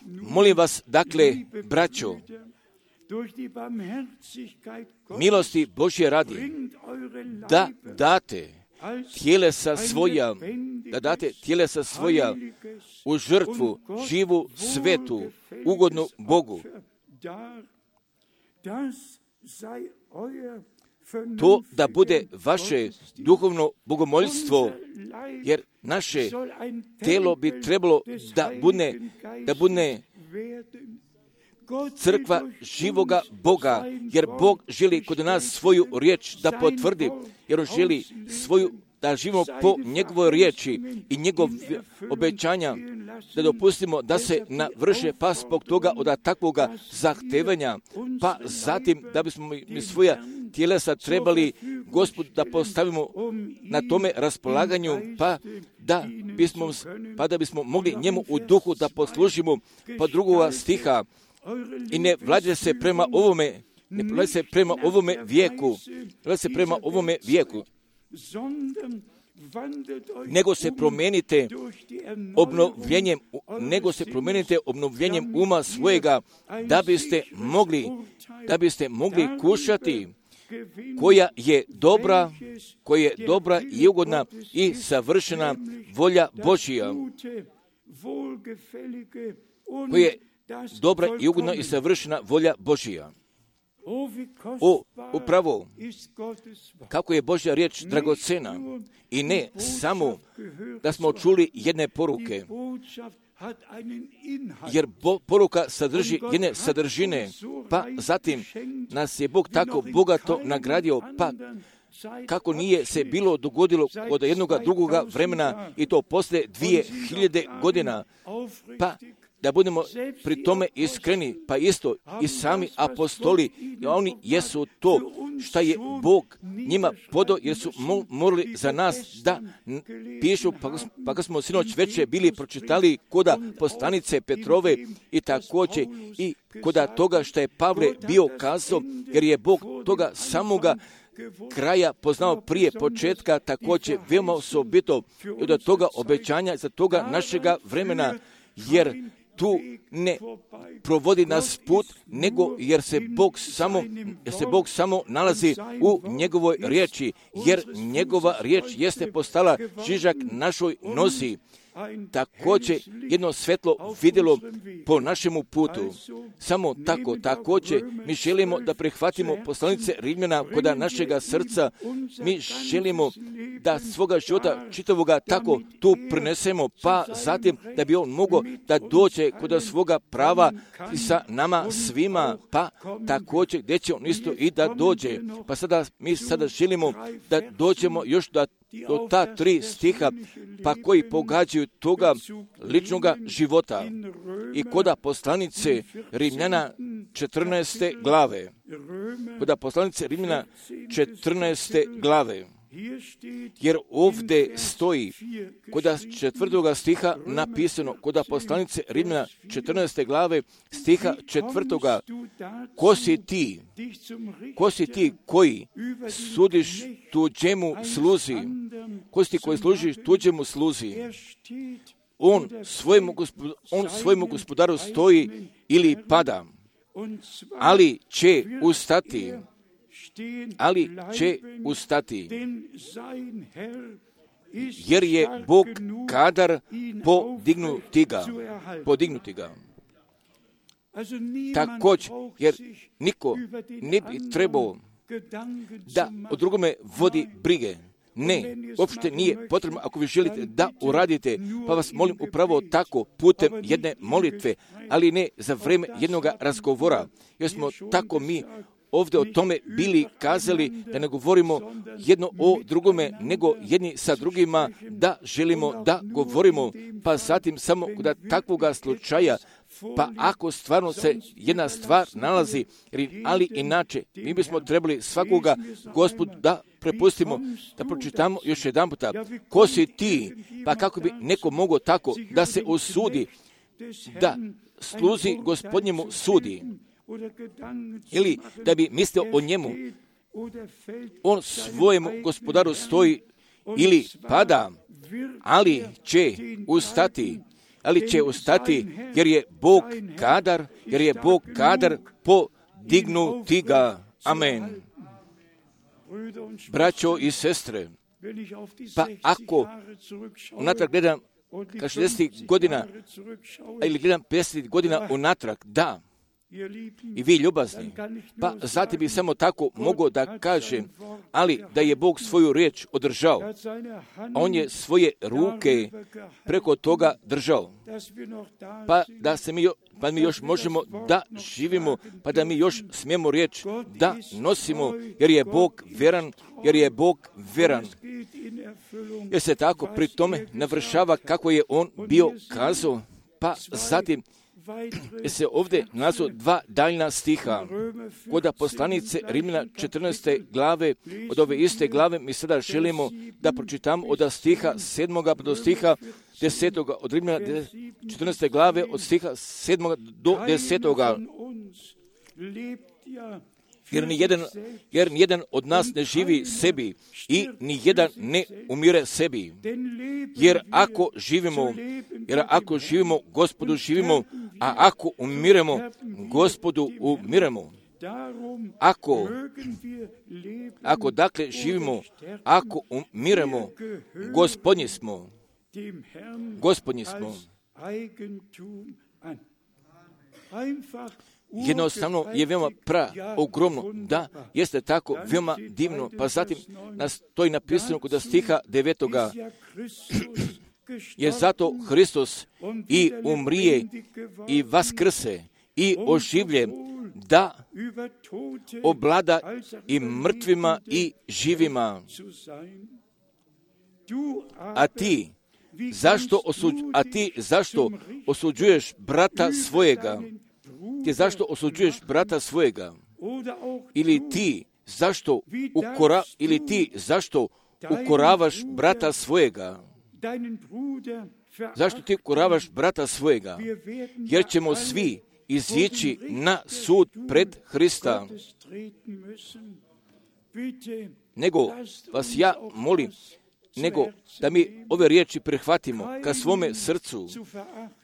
S1: molim vas, dakle, braćo, milosti Božje radi, da date tjelesa svoja u žrtvu, živu, svetu, ugodnu Bogu. To da bude vaše duhovno bogomoljstvo, jer naše telo bi trebalo da bude crkva živoga Boga, jer Bog želi kod nas svoju riječ da potvrdi, jer on želi da živimo po njegovoj riječi i njegov obećanja, da dopustimo da se navrše, pa zbog toga od takvoga zahtevanja, pa zatim da bismo mi svoja tjelesa trebali Gospodu da postavimo na tome raspolaganju, pa da bismo mogli njemu u duhu da poslužimo. Pa drugoga stiha, i ne vlade se prema ovome vijeku, nego se promijenite obnovljenjem uma svojega, da biste mogli kušati koja je dobra i ugodna i savršena volja Božja. Koja je dobra i ugodna i savršena volja Božja. Upravo, kako je Božja riječ dragocena, i ne samo da smo čuli jedne poruke, jer poruka sadrži jedne sadržine, pa zatim nas je Bog tako bogato nagradio, pa kako nije se bilo dogodilo od jednoga drugoga vremena, i to poslije 2000 godina, pa da budemo pri tome iskreni, pa isto i sami apostoli, oni jesu to što je Bog njima podao, jer su morali za nas da pišu, pa kad smo sinoć večer bili pročitali koda poslanice Petrove i također i koda toga što je Pavle bio kazao, jer je Bog toga samoga kraja poznao prije početka, također veoma osobito i od toga obećanja za toga našega vremena, jer tu ne provodi nas put, nego jer se Bog samo nalazi u njegovoj riječi, jer njegova riječ jeste postala žižak našoj nozi. Također jedno svetlo vidjelo po našemu putu. Samo tako, također mi želimo da prihvatimo poslanice Rimljana kod našega srca. Mi želimo da svoga života čitavoga tako tu prinesemo, pa zatim da bi on mogao da dođe kod svoga prava sa nama svima, pa također gdje će on isto i da dođe. Pa mi sada želimo da dođemo još do ta 3 stiha, pa koji pogađaju toga ličnoga života. I koda poslanice Rimljana 14. glave. Koda poslanice Rimljana 14. glave. Jer ovdje stoji koda 4. stiha napisano, koda poslanice Rimljana 14. glave stiha 4. Ko si ti koji sudiš tuđemu sluzi? Ko si ti koji služiš tuđemu sluzi? On svojemu gospodaru stoji ili pada, ali će ustati. jer je Bog kadar podignuti ga. Također, jer niko ne bi trebao da o drugome vodi brige. Ne, uopšte nije potrebno ako vi želite da uradite, pa vas molim upravo tako putem jedne molitve, ali ne za vrijeme jednog razgovora. Jer smo tako mi ovdje o tome bili kazali da ne govorimo jedno o drugome, nego jedni sa drugima da želimo da govorimo, pa zatim samo kod takvoga slučaja, pa ako stvarno se jedna stvar nalazi, ali inače mi bismo trebali svakoga Gospodu da prepustimo, da pročitamo još jedan puta. Ko si ti, pa kako bi neko mogao tako da se osudi, da sluzi Gospodnjemu sudi, ili da bi mislio o njemu, on svojemu gospodaru stoji ili pada, ali će ustati, jer je Bog kadar podignuti ga. Amen. Braćo i sestre, pa ako unatrag gledam 60 godina, ili gledam 50 godina unatrag, da, i vi ljubazni, pa zatim bi samo tako mogao da kažem, ali da je Bog svoju riječ održao, a on je svoje ruke preko toga držao, pa mi još možemo da živimo, pa da mi još smijemo riječ da nosimo, jer je Bog veran, jer se tako pri tome navršava kako je on bio kazao, pa zatim se ovdje nazvu dva daljna stiha. Kod poslanice Rimljana 14. glave, od ove iste glave mi sada želimo da pročitamo od stiha 7. do stiha 10. od Rimljana 14. glave od stiha 7. do 10. Jer nijedan od nas ne živi sebi i nijedan ne umire sebi. Jer ako živimo, Gospodu živimo, a ako umiremo, Gospodu umiremo. Ako dakle živimo, ako umiremo, Gospodnji smo. Jednostavno je veoma ogromno, da, jeste tako veoma divno, pa zatim to je napisano kod stiha 9. Je zato Hristos i umrije i vaskrse i oživlje, da oblada i mrtvima i živima. A ti zašto osuđuješ brata svojega? Ti zašto osuđuješ brata svojega? Ili ti zašto ukoravaš brata svojega? Zašto ti ukoravaš brata svojega? Jer ćemo svi izići na sud pred Hrista. Nego vas ja molim, nego da mi ove riječi prihvatimo ka svome srcu,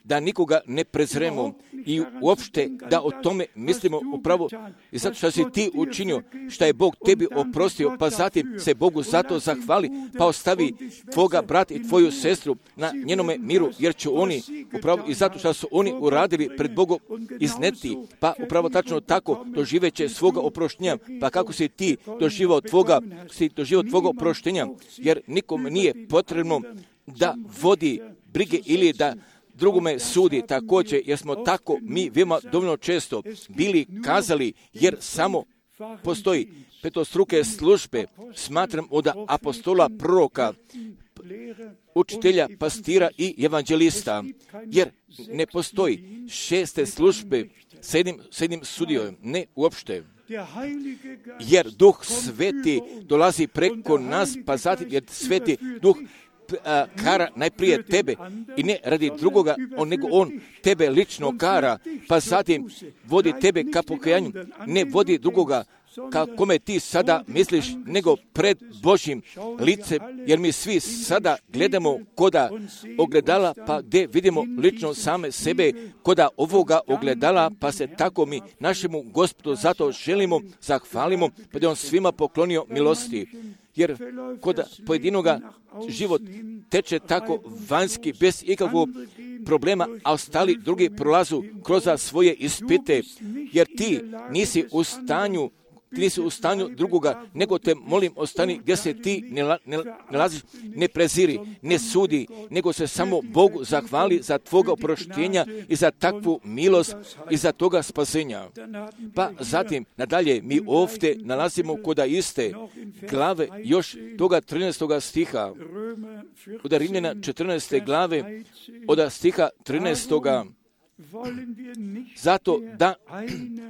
S1: da nikoga ne prezremo i uopšte da o tome mislimo upravo i zato što si ti učinio, što je Bog tebi oprostio, pa zatim se Bogu zato zahvali, pa ostavi tvoga brata i tvoju sestru na njenome miru, jer će oni upravo i zato što su oni uradili pred Bogom izneti, pa upravo tačno tako doživeće svoga oproštenja, pa kako si ti doživao tvoga oproštenja, jer nikom nije potrebno da vodi brige ili da drugome sudi također, jer smo tako mi veoma dovoljno često bili kazali, jer samo postoji petostruke službe, smatram od apostola, proroka, učitelja, pastira i evanđelista, jer ne postoji šeste službe s jednim sudijom, ne uopšte. Jer Duh Sveti dolazi preko nas, pa zatim jer Sveti Duh kara najprije tebe i ne radi drugoga, nego on tebe lično kara, pa zatim vodi tebe ka pokajanju, ne vodi drugoga kome ti sada misliš, nego pred Božjim licem, jer mi svi sada gledamo koda ogledala, pa gdje vidimo lično same sebe koda ovoga ogledala, pa se tako mi našemu Gospodu zato želimo, zahvalimo, pa da on svima poklonio milosti. jer kod pojedinoga život teče tako vanjski, bez ikakvog problema, a ostali drugi prolazu kroz svoje ispite, jer ti nisi u stanju drugoga, nego te molim ostani gdje se ti ne nalaziš, ne preziri, ne sudi, nego se samo Bogu zahvali za tvoga oproštenja i za takvu milost i za toga spasenja. Pa zatim, nadalje, mi ovdje nalazimo kod iste glave još toga 13. stiha, od Rimljana 14. glave, od stiha 13.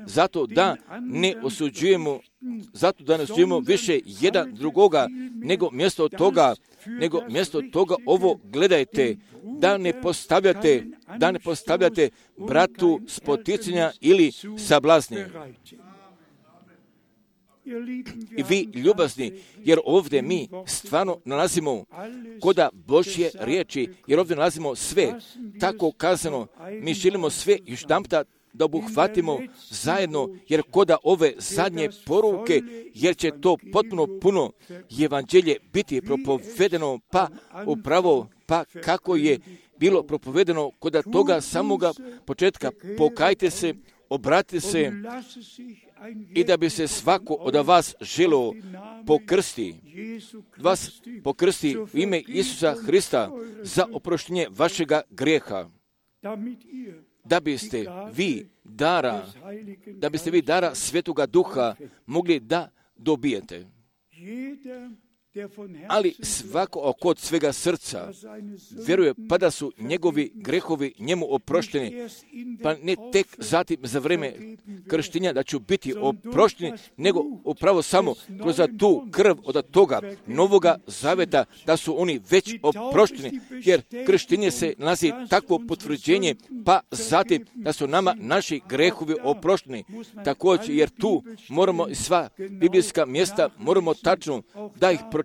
S1: Zato da ne osuđujemo više jedan drugoga, nego mjesto toga ovo gledajte, da ne postavljate bratu spoticanja ili sablazni. I vi ljubazni, jer ovdje mi stvarno nalazimo koda Božje riječi, jer ovdje nalazimo sve tako kazano. Mi želimo sve još jedanputa da obuhvatimo zajedno, jer koda ove zadnje poruke, jer će to potpuno puno evanđelje biti propovedeno, pa upravo kako je bilo propovedeno koda toga samoga početka. Pokajte se, obratite se, i da bi se svako od vas želio pokrsti u ime Isusa Hrista za oproštenje vašega grijeha, da biste vi dara Svetoga Duha mogli da dobijete. Ali svako kod svega srca vjeruje pa da su njegovi grehovi njemu oprošteni, pa ne tek zatim za vrijeme krštenja da će biti oprošteni, nego upravo samo kroz tu krv od toga novoga zaveta da su oni već oprošteni, jer krštenje se nalazi takvo potvrđenje, pa zatim da su nama naši grehovi oprošteni. Također, jer tu moramo i sva biblijska mjesta moramo tačno da ih pročitamo,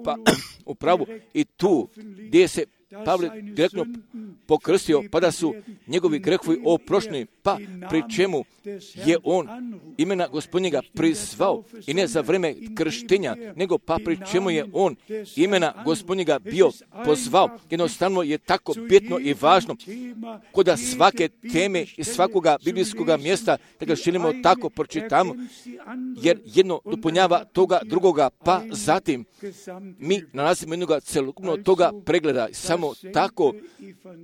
S1: pa upravo i tu gdje se Pavle direktno pokrstio, pa da su njegovi grehovi oprošteni, pa pri čemu je on imena Gospodnjega prizvao i ne za vrijeme krštenja, nego pa pri čemu je on imena Gospodnjega bio pozvao. Jednostavno je tako bitno i važno kod svake teme i svakoga biblijskoga mjesta da ga želimo tako pročitamo, jer jedno dopunjava toga drugoga, pa zatim mi nalazimo jednoga celokupnog toga pregleda. Samo tako,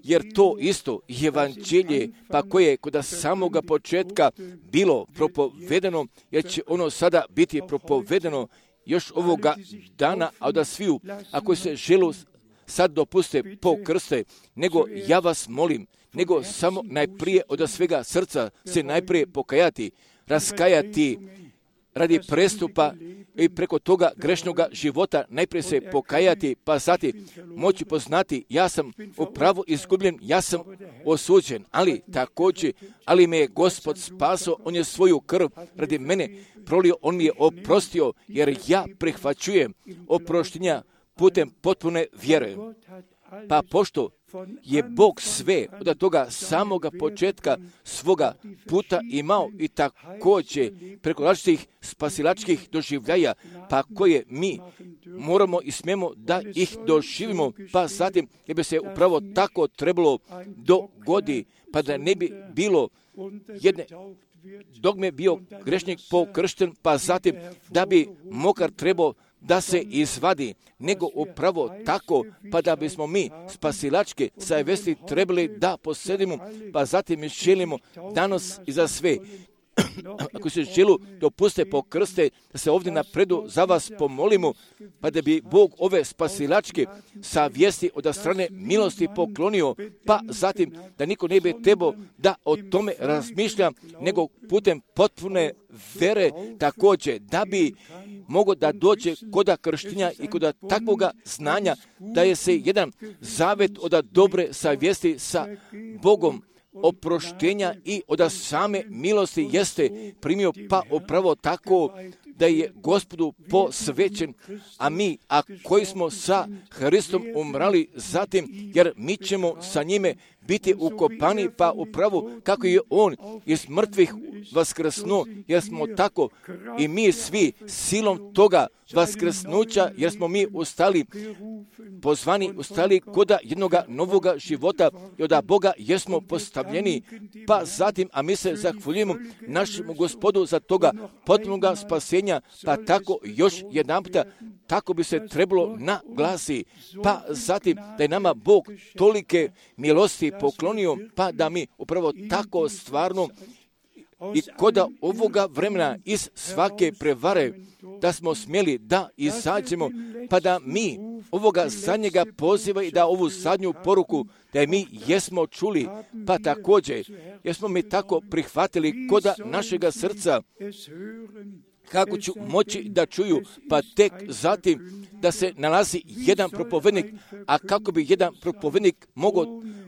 S1: jer to isto evanđelje, pa koje je kod samoga početka bilo propovedeno, jer će ono sada biti propovedeno još ovoga dana, a da sviju, ako se želu sad dopuste pokrste, nego ja vas molim, nego samo najprije od svega srca se najprije pokajati, raskajati radi prestupa i preko toga grešnoga života najprije se pokajati, pa zatim moći poznati ja sam upravo izgubljen, ja sam osuđen, ali me je Gospod spasao, on je svoju krv radi mene prolio, on mi je oprostio, jer ja prihvaćujem oproštenja putem potpune vjere. Pa pošto je Bog sve od toga samoga početka svoga puta imao i također preko različitih spasilačkih doživljaja, pa koje mi moramo i smijemo da ih doživimo, pa zatim je bi se upravo tako trebalo dogodi, pa da ne bi bilo jedne dogme bio grešnik pokršten, pa zatim da bi mokar trebao da se izvadi, nego upravo tako, pa da bismo mi spasilačke savjesti trebali da posjedimo, pa zatim mi želimo danas i za sve. Ako se želu dopuste pokrste, da se ovdje napredu za vas pomolimo, pa da bi Bog ove spasilačke savjesti od strane milosti poklonio, pa zatim da niko ne bi trebao da o tome razmišlja, nego putem potpune vere također, da bi mogo da dođe koda krštenja i koda takvoga znanja, da je se jedan zavet od dobre savjesti sa Bogom oproštenja i od same milosti jeste primio, pa upravo tako da je Gospodu posvećen, a mi, a koji smo sa Hristom umrali zatim, jer mi ćemo sa njime biti ukopani, pa upravo kako je on iz mrtvih vaskrsnuo, jer smo tako i mi svi silom toga vaskrsnuća, jer smo mi ustali, pozvani, ustali koda jednoga novoga života i od Boga jesmo postavljeni, pa zatim, a mi se zahvaljujemo našemu Gospodu za toga potpunoga spasenja, pa tako još jedanputa, tako bi se trebalo naglasi, pa zatim da je nama Bog tolike milosti poklonio, pa da mi upravo tako stvarno i koda ovoga vremena iz svake prevare, da smo smjeli da izađemo, pa da mi ovoga zadnjega poziva i da ovu zadnju poruku, da je mi jesmo čuli, pa također, jesmo mi tako prihvatili koda našega srca, kako ću moći da čuju, pa tek zatim da se nalazi jedan propovednik, a kako bi jedan propovednik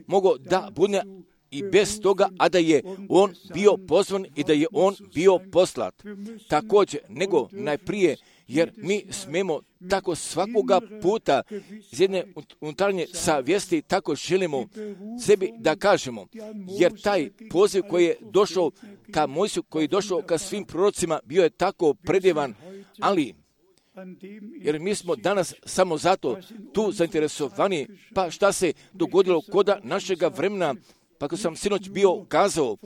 S1: mogao da bude i bez toga, a da je on bio pozvan i da je on bio poslat. Također, nego najprije, jer mi smemo tako svakoga puta iz jedne unutarnje savjesti tako želimo sebi da kažemo, jer taj poziv koji je došao ka Mojsiju, koji je došao ka svim prorocima, bio je tako predivan, ali jer mi smo danas samo zato tu zainteresovani, pa šta se dogodilo koda našega vremena, pa kako sam sinoć bio kazao,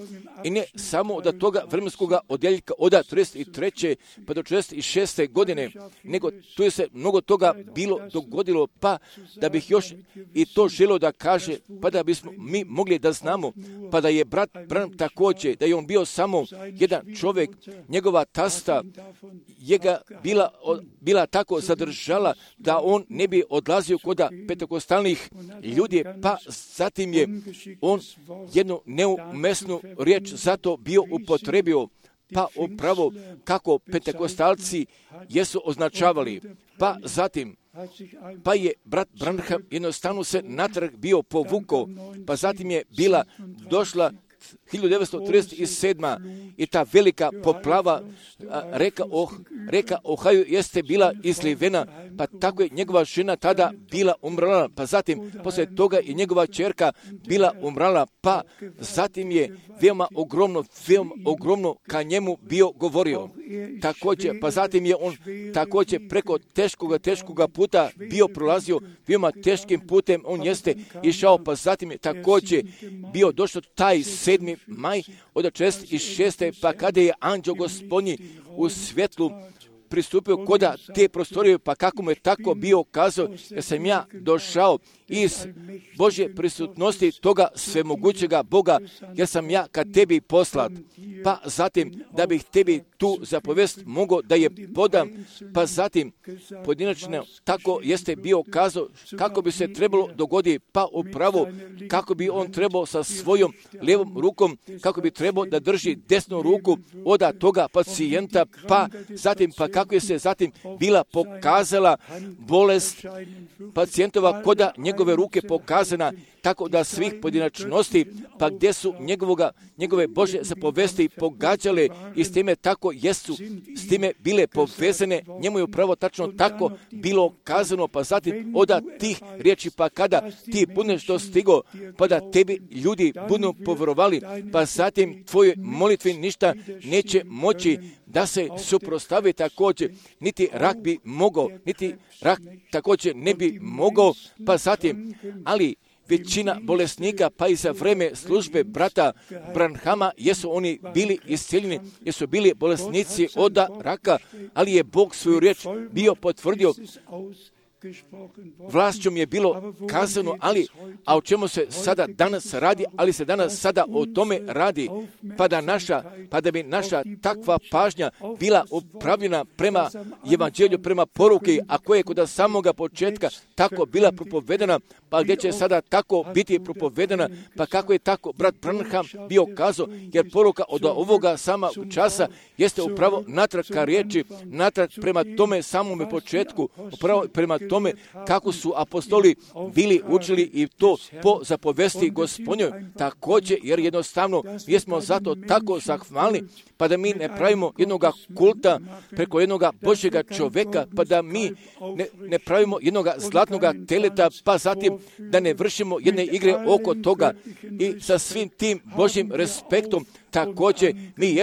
S1: i ne samo od toga vremenskoga odjeljka od 33. pa do 46. godine, nego tu je se mnogo toga bilo dogodilo, pa da bih još i to želio da kaže, pa da bismo mi mogli da znamo, pa da je brat Branham također, da je on bio samo jedan čovjek, njegova tasta je ga bila tako zadržala da on ne bi odlazio kod pentekostalnih ljudi, pa zatim je on jednu neumesnu riječ zato bio upotrebio, pa upravo kako pentekostalci jesu označavali. Pa zatim, pa je brat Branham jednostavno se natrag bio povukao, pa zatim je bila došla 1937. i ta velika poplava reka Ohio jeste bila izlivena, pa tako je njegova žena tada bila umrla, pa zatim poslije toga i njegova ćerka bila umrla, pa zatim je veoma ogromno ka njemu bio govorio. Također, pa zatim je on također preko teškoga puta bio prolazio, veoma teškim putem on jeste išao, pa zatim je također bio došao taj 7. maj od 46. pa kada je anđeo Gospodnji u svjetlu pristupio koda te prostorije, pa kako mu je tako bio kazao, jer sam ja došao iz Božje prisutnosti toga svemogućega Boga, jer sam ja ka tebi poslat. Pa zatim, da bih tebi tu zapovest mogao da je podam, pa zatim pojedinačno tako jeste bio kazao kako bi se trebalo dogoditi, pa upravo kako bi on trebao sa svojom lijevom rukom, kako bi trebao da drži desnu ruku od toga pacijenta, pa zatim, pa kako je se zatim bila pokazala bolest pacijentova koda njegove ruke pokazana, tako da svih pojedinačnosti, pa gdje su njegove Božje zapovesti pogađale i s time tako jesu, s time bile povezane, njemu je upravo tačno tako bilo kazano, pa zatim od tih riječi, pa kada ti budeš dostigo, pa da tebi ljudi budu povjerovali, pa zatim tvojoj molitvi ništa neće moći da se suprotstavi također, niti rak bi mogao, niti rak također ne bi mogao, pa zatim, ali većina bolesnika, pa i za vreme službe brata Branhama, jesu oni bili iscijeljeni, jesu bili bolesnici od raka, ali je Bog svoju riječ bio potvrdio. Vlašćom je bilo kazano, a o čemu se sada danas radi, ali se danas sada o tome radi, pa da bi naša takva pažnja bila upravljena prema evanđelju, prema poruki, a koje je kod samoga početka tako bila propovedana, pa gdje će sada tako biti propovedana, pa kako je tako brat Branham bio kazao, jer poruka od ovoga samog časa jeste upravo natrag ka riječi, natrag prema tome samome početku, upravo prema tome tome kako su apostoli bili učili i to po zapovesti Gospodnjoj također, jer jednostavno mi smo zato tako zahvalni, pa da mi ne pravimo jednoga kulta preko jednoga Božjega čovjeka, pa da mi ne pravimo jednoga zlatnoga teleta, pa zatim da ne vršimo jedne igre oko toga i sa svim tim Božjim respektom. Također mi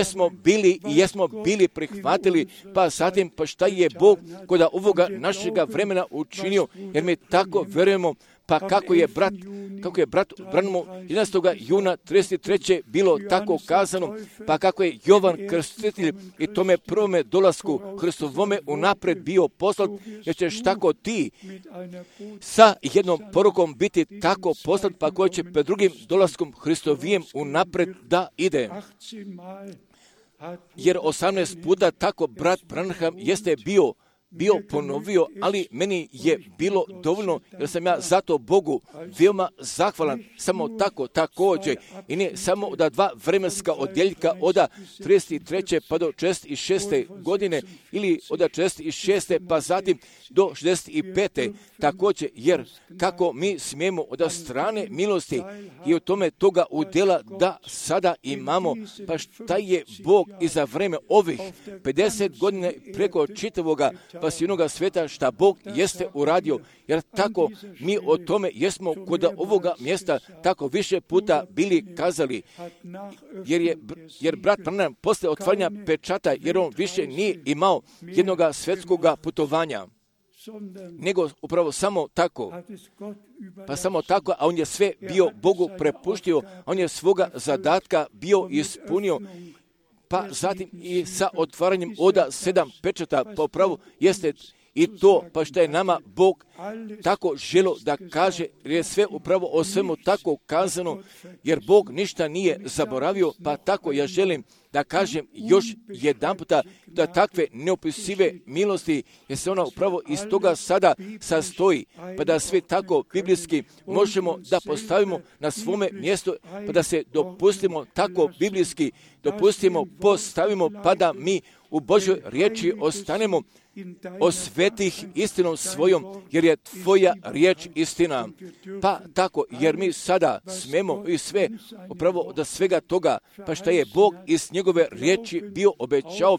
S1: jesmo bili prihvatili, pa zatim pa šta je Bog kod ovoga našega vremena učinio, jer mi tako vjerujemo. Pa kako je brat Branham 11. juna 33. bilo tako kazano, pa kako je Jovan Krstitelj i tome prvome dolasku Hristovome unaprijed bio poslat, jer ćeš tako ti sa jednom porukom biti tako poslat, pa koji će pred drugim dolaskom Hristovijem unaprijed da ide. Jer 18 puta tako brat Branham jeste bio ponovio, ali meni je bilo dovoljno, jer sam ja zato Bogu veoma zahvalan, samo tako također, i ne samo od 2 vremenska odjeljka od 33. pa do 66. godine, ili od 66. pa zatim do 65. također, jer kako mi smijemo od strane milosti i od tome toga udjela da sada imamo, pa šta je Bog i za vreme ovih 50 godina preko čitavoga pasivnoga sveta šta Bog jeste uradio, jer tako mi o tome jesmo kod ovoga mjesta tako više puta bili kazali, jer brat Branham posle otvaranja pečata, jer on više nije imao jednoga svjetskoga putovanja, nego upravo samo tako, a on je sve bio Bogu prepuštio, on je svoga zadatka bio ispunio, pa zatim i sa otvaranjem od 7 pečata po pravu jeste i to, pa što je nama Bog tako želo da kaže, jer je sve upravo o svemu tako kazano, jer Bog ništa nije zaboravio, pa tako ja želim da kažem još jedan puta da takve neopisive milosti, jer se ona upravo iz toga sada sastoji, pa da sve tako biblijski možemo da postavimo na svome mjestu, pa da se dopustimo tako biblijski, postavimo, pa da mi u Božoj riječi ostanemo osvetih istinom svojom, jer je tvoja riječ istina. Pa tako, jer mi sada smemo i sve, upravo od svega toga, pa što je Bog iz njegove riječi bio obećao,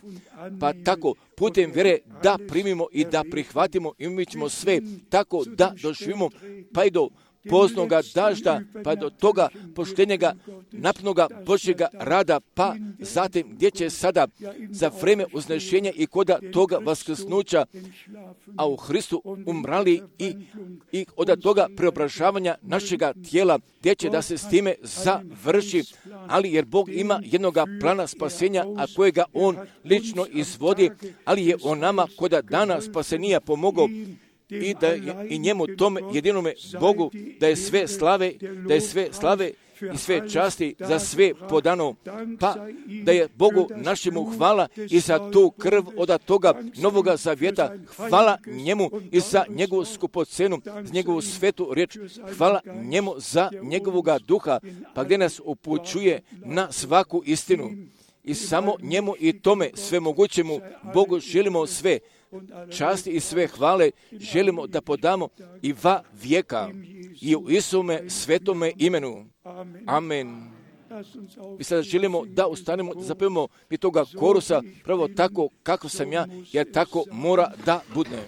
S1: pa tako putem vjere da primimo i da prihvatimo i mi ćemo sve tako da doživimo, pa i do poznoga dažda, pa do toga poštenjega, napnoga Božjega rada, pa zatim gdje će sada za vreme uznešenja i koda toga vaskrsnuća, a u Hristu umrali i od toga preobražavanja našega tijela, gdje će da se s time završi, ali jer Bog ima jednoga plana spasenja, a kojega On lično izvodi, ali je on nama koda dana spasenija pomogao, i da i njemu tome jedinome Bogu da je sve slave i sve časti za sve podano, pa da je Bogu našemu hvala i za tu krv od toga novoga zavjeta, hvala njemu i za njegovu skupocenu, za njegovu svetu riječ, hvala njemu za njegovoga duha, pa gdje nas upućuje na svaku istinu. I samo njemu i tome svemogućemu Bogu želimo sve časti i sve hvale želimo da podamo i va vijeka i u Isume svetome imenu. Amen. Mi sada želimo da ustanemo, da zapevamo mi toga korusa pravo tako kako sam ja, jer tako mora da bude.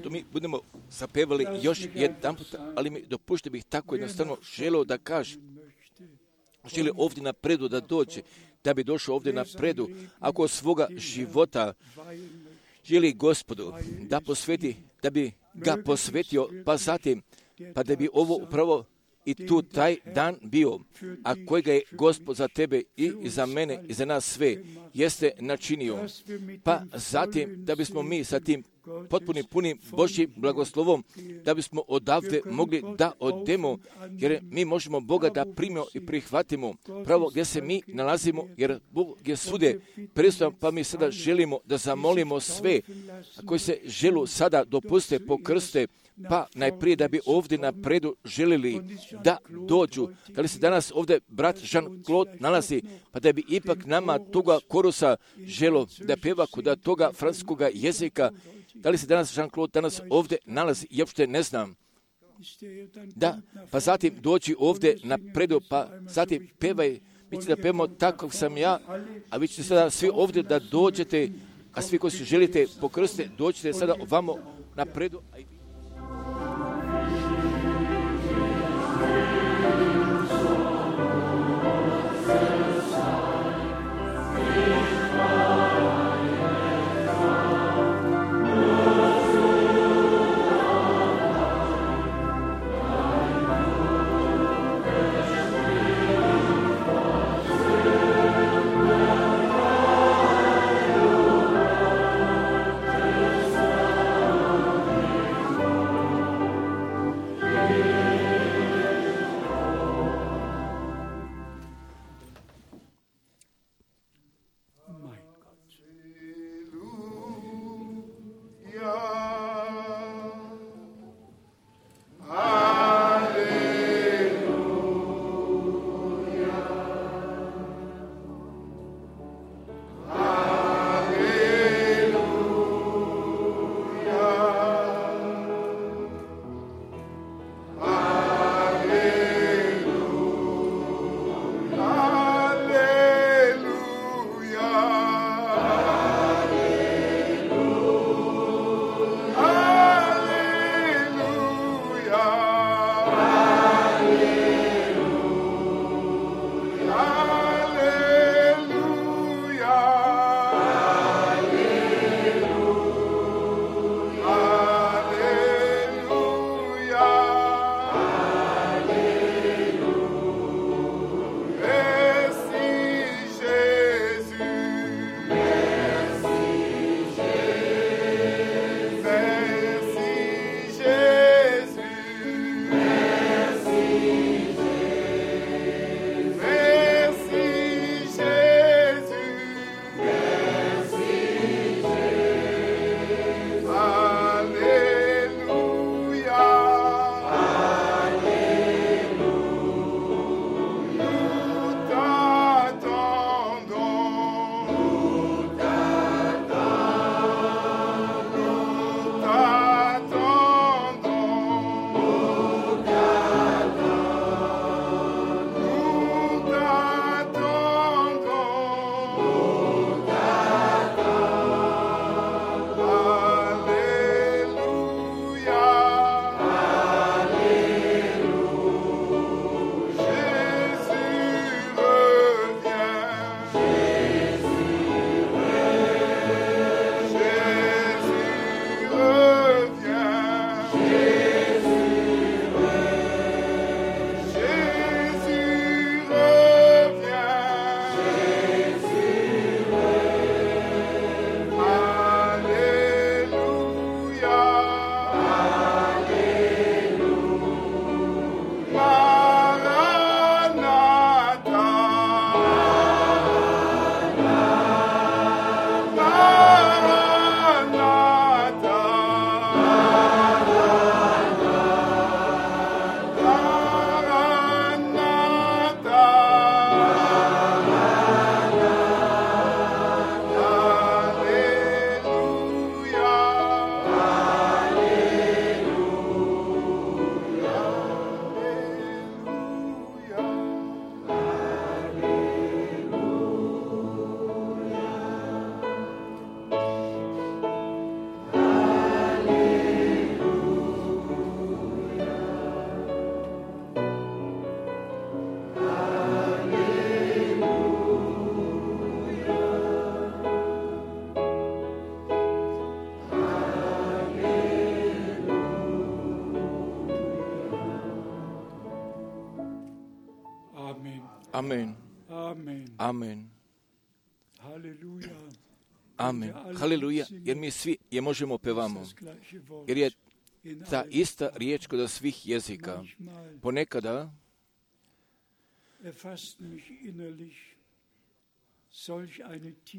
S1: Što mi budemo zapevali još jedan put, ali mi dopušte bih tako jednostavno želeo da kažem. Želi ovdje napredu da dođe, da bi došao ovdje napredu, ako svoga života želi Gospodu da posveti, da bi ga posvetio, pa zatim, pa da bi ovo upravo i tu taj dan bio, a kojega je Gospod za tebe i za mene i za nas sve jeste načinio. Pa zatim da bismo mi sa tim potpunim punim Božjim blagoslovom, da bismo odavde mogli da odemo, jer mi možemo Boga da primimo i prihvatimo pravo gdje se mi nalazimo, jer Bog je svude prisutan, pa mi sada želimo da zamolimo sve koji se želu sada dopuste pokrste, pa najprije da bi ovdje napredu želili da dođu. Da li se danas ovdje brat Jean-Claude nalazi, pa da bi ipak nama toga korusa želo da pjeva kod toga francuskoga jezika. Da li se danas Jean-Claude danas ovdje nalazi? Ja uopšte ne znam. Da, pa zatim dođi ovdje napredu, pa zatim pevaj. Mi ćemo da pevamo tako sam ja, a vi ćete sada svi ovdje da dođete, a svi koji se želite pokrstiti, dođite sada ovamo napredu. Amen. Amen. Amen. Haleluja. Jer mi svi je možemo pevamo. Jer je ta ista riječ kod svih jezika. Ponekada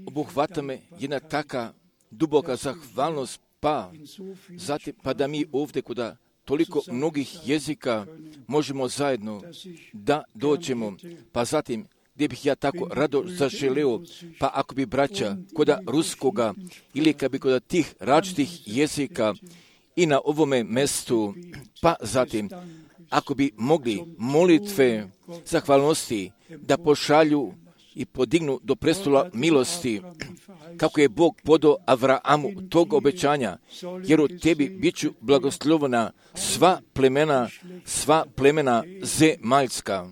S1: obuhvata me jedna taka duboka zahvalnost, pa da mi ovdje kod toliko mnogih jezika možemo zajedno da dođemo, pa zatim gdje bih ja tako rado zaželeo, pa ako bi braća kod ruskoga ili kad bi kod tih različitih jezika i na ovome mjestu, pa zatim ako bi mogli molitve zahvalnosti da pošalju i podignu do prestola milosti, kako je Bog podao Avraamu tog obećanja, jer u tebi bit ću blagoslovena sva plemena zemaljska.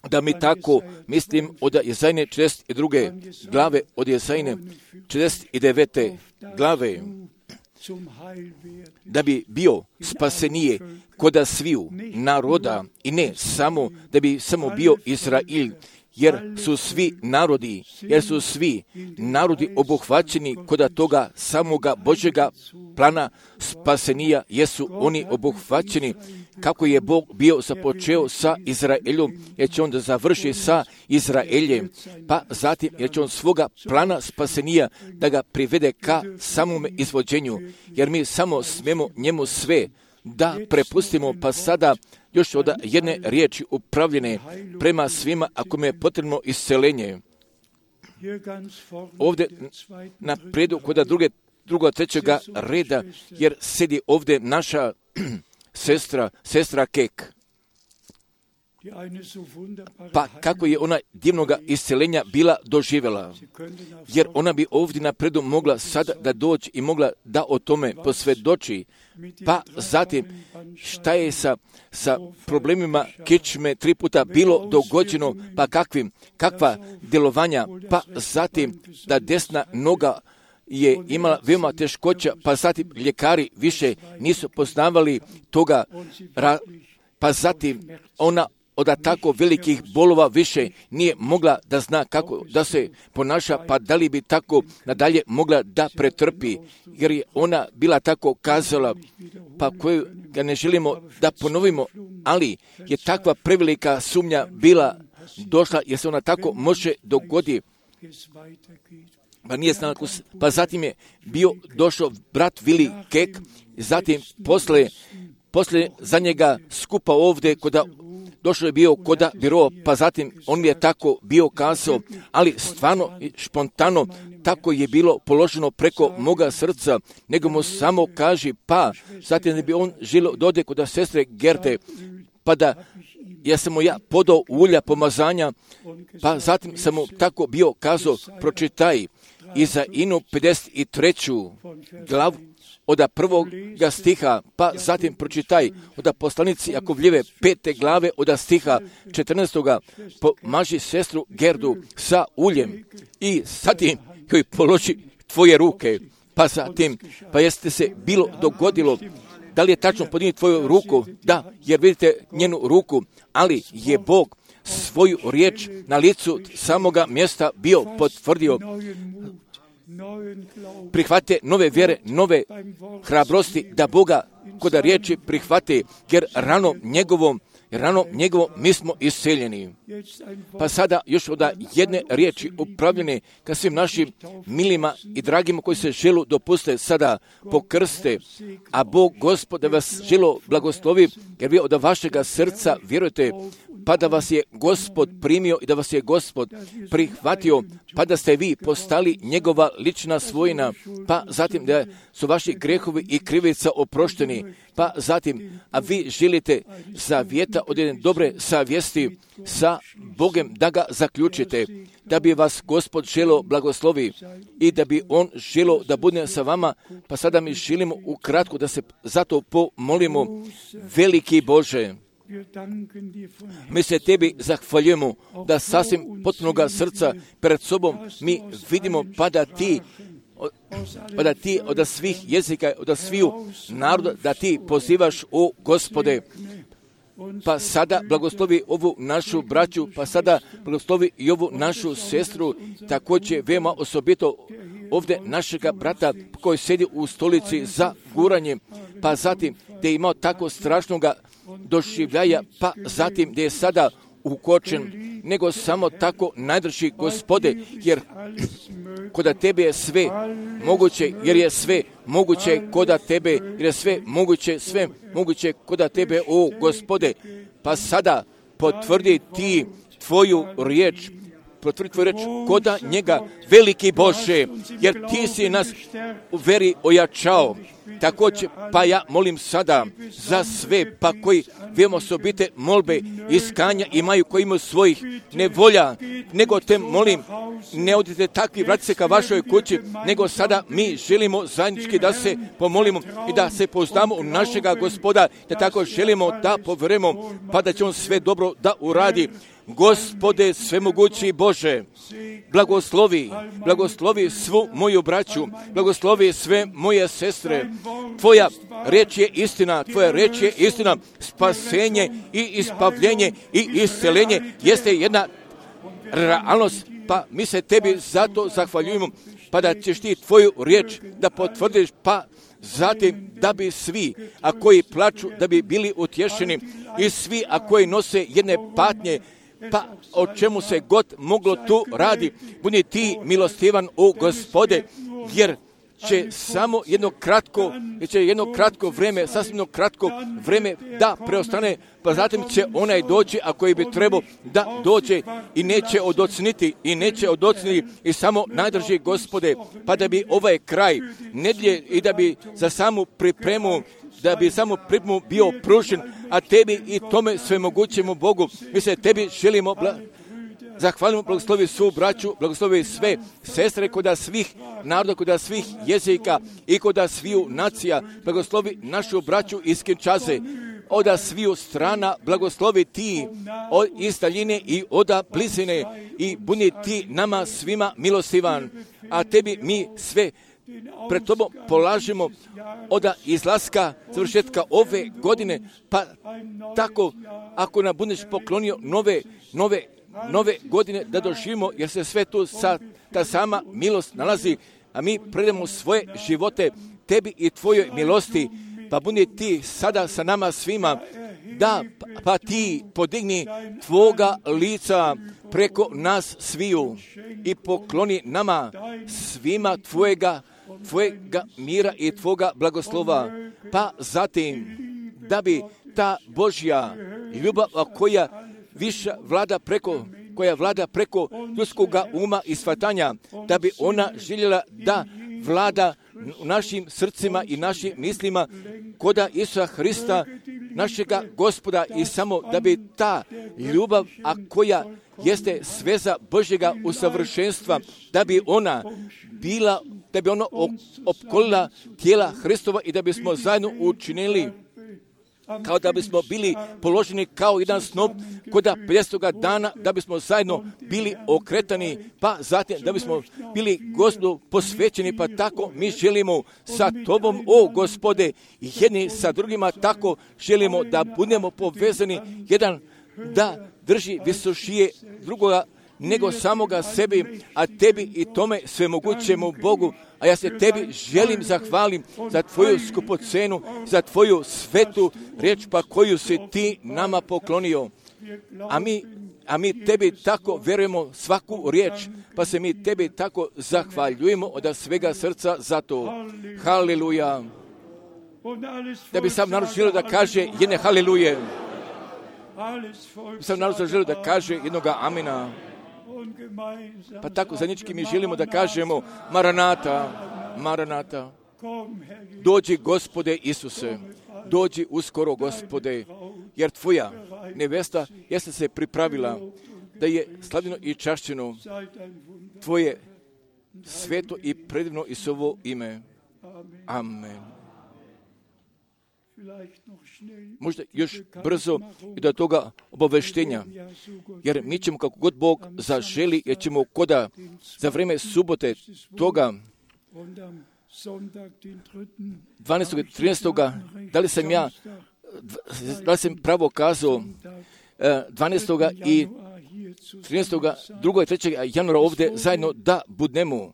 S1: Da mi tako mislim od Jezajne 42. glave, od Jezajne 49. glave, da bi bio spasenije koda sviju naroda i ne samo da bi samo bio Izrail, jer su svi narodi obuhvaćeni koda toga samoga Božjega plana spasenija, jesu oni obuhvaćeni kako je Bog bio započeo sa Izraelom, jer će on da završi sa Izraeljem, pa zatim jer će on svoga plana spasenija da ga privede ka samome izvođenju, jer mi samo smemo njemu sve da prepustimo, pa sada još od jedne riječi upravljene prema svima ako mi je potrebno isceljenje. Ovdje na predu kod drugog, trećega reda, jer sedi ovdje naša sestra Kek. Pa kako je ona divnoga isceljenja bila doživjela, jer ona bi ovdje napredu mogla sada da dođe i mogla da o tome posvjedoči, pa zatim šta je sa problemima kičme 3 puta bilo dogođeno, pa kakva djelovanja, pa zatim da desna noga je imala veoma teškoća, pa zatim ljekari više nisu poznavali toga, pa zatim ona od tako velikih bolova više nije mogla da zna kako da se ponaša, pa da li bi tako nadalje mogla da pretrpi, jer je ona bila tako kazala, pa koju ga ne želimo da ponovimo, ali je takva prevelika sumnja bila došla, jer se ona tako može dogoditi. Pa nije znala, pa zatim je došao brat Vili Kek, zatim posle za njega skupa ovdje došao je bio koda biro, pa zatim on mi je tako bio kazao, ali stvarno špontano tako je bilo položeno preko moga srca, nego mu samo kaži, pa zatim da bi on želio dode kod sestre Gerte, pa da ja sam mu podao ulja pomazanja, pa zatim sam mu tako bio kazao, pročitaj Izainu 53. glavu, od 1. stiha, pa zatim pročitaj od poslanici Jakovljeve 5. glave od stiha 14. Pomaži sestru Gerdu sa uljem i zatim joj položi tvoje ruke, pa zatim, pa jeste se bilo dogodilo, da li je tačno podigni tvoju ruku? Da, jer vidite njenu ruku, ali je Bog svoju riječ na licu samoga mjesta bio potvrdio. Prihvate nove vjere, nove hrabrosti da Boga kod riječi prihvate, jer rano njegovom mi smo isceljeni. Pa sada još od jedne riječi upravljene ka svim našim milima i dragima koji se želu dopuste sada pokrste, a Bog Gospod da vas želo blagoslovi, jer vi od vašega srca vjerujete, pa da vas je Gospod primio i da vas je Gospod prihvatio, pa da ste vi postali njegova lična svojina, pa zatim da su vaši grehovi i krivica oprošteni, pa zatim, a vi želite zavjeta od jedne dobre savjesti sa Bogem da ga zaključite, da bi vas Gospod želo blagoslovi i da bi on želo da bude sa vama, pa sada mi želimo ukratko da se zato pomolimo. Veliki Bože, mi se tebi zahvaljujemo da sasvim potpunoga srca pred sobom mi vidimo pa da ti od svih jezika, od sviju naroda, da ti pozivaš, o Gospode, pa sada blagoslovi ovu našu braću, pa sada blagoslovi i ovu našu sestru, također veoma osobito ovdje našega brata koji sjedi u stolici za guranje, pa zatim gdje je imao tako strašnoga doživljaja, pa zatim gdje je sada ukočen, nego samo tako najdrži Gospode, jer koda tebe je sve moguće, jer je sve moguće koda tebe, jer je sve moguće koda tebe, o Gospode, pa sada potvrdi ti tvoju riječ, potvrdi tvoju riječ koda njega, veliki Bože, jer ti si nas u veri ojačao. Također, pa ja molim sada za sve, pa koji veoma osobite molbe, iskanja imaju, koji imaju svojih nevolja, nego te molim, ne odite takvi, vratite se ka vašoj kući, nego sada mi želimo zajednički da se pomolimo i da se pouzdamo u našega Gospoda, da tako želimo da povjerujemo, pa da će on sve dobro da uradi. Gospode svemogući Bože, blagoslovi svu moju braću, blagoslovi sve moje sestre. Tvoja reč je istina, tvoja reč je istina, spasenje i ispavljenje i isceljenje jeste jedna realnost, pa mi se tebi zato zahvaljujemo, pa da ćeš ti tvoju riječ da potvrdiš, pa zatim da bi svi, a koji plaču, da bi bili utješeni, i svi, a koji nose jedne patnje, pa o čemu se god moglo tu radi, budi ti milostivan, o Gospode, jer će samo jedno kratko vrijeme, sasvim jedno kratko vrijeme da preostane, pa zatim će onaj doći, a koji bi trebao da dođe i neće odocniti i samo najdrži Gospode, pa da bi ovaj kraj nedjelje i da bi za samu pripremu bio pružen, a tebi i tome svemogućemu Bogu, mi se tebi želimo zahvalimo, blagoslovi svu braću, blagoslovi sve sestre koda svih naroda, koda svih jezika i koda sviju nacija, blagoslovi našu braću iz Kinshase, oda sviju strana, blagoslovi ti od iz daljine i oda blizine i budi ti nama svima milostivan, a tebi mi sve pred tobom polažemo od izlaska, završetka ove godine, pa tako ako nam budeš poklonio nove godine da doživimo, jer se sve tu ta sama milost nalazi, a mi predamo svoje živote tebi i tvojoj milosti, pa budi ti sada sa nama svima, da pa ti podigni tvoga lica preko nas sviju i pokloni nama svima tvojega mira i tvoga blagoslova, pa zatim da bi ta Božja ljubav koja vlada preko ljudskoga uma i shvatanja, da bi ona željela da vlada u našim srcima i našim mislima koda Isusa Hrista, našega Gospoda, i samo da bi ta ljubav, a koja jeste sveza Božjega usavršenstva, da bi ona opkolila tijela Hristova i da bismo zajedno učinili kao da bismo bili položeni kao jedan snop koda 50. dana, da bismo zajedno bili okretani, pa zatim da bismo bili Gospodu posvećeni, pa tako mi želimo sa tobom, o Gospode, jedni sa drugima, tako želimo da budemo povezani, jedan da drži visošije drugoga nego samoga sebi, a tebi i tome svemogućemu Bogu. A ja se tebi želim zahvalim za tvoju skupocenu, za tvoju svetu riječ, pa koju si ti nama poklonio. A mi tebi tako vjerujemo svaku riječ, pa se mi tebi tako zahvaljujemo od svega srca za to. Haleluja. Da bi sam narod želio da kaže jedne haleluje. Sam narod želio da kaže jednoga amina. Pa tako zajednički mi želimo da kažemo Maranata, Maranata. Dođi Gospode Isuse, dođi uskoro Gospode, jer tvoja nevesta jeste se pripravila da je slavljeno i čašćeno tvoje sveto i predivno Isusovo ime. Amen. Možda još brzo i do toga obaveštenja, jer mi ćemo kako god Bog zaželi, jer ćemo koda za vrijeme subote toga 12. i 13. da li sam ja da sam pravo kazao, 12. i 13. 2. i 3. januara ovdje zajedno da budemo.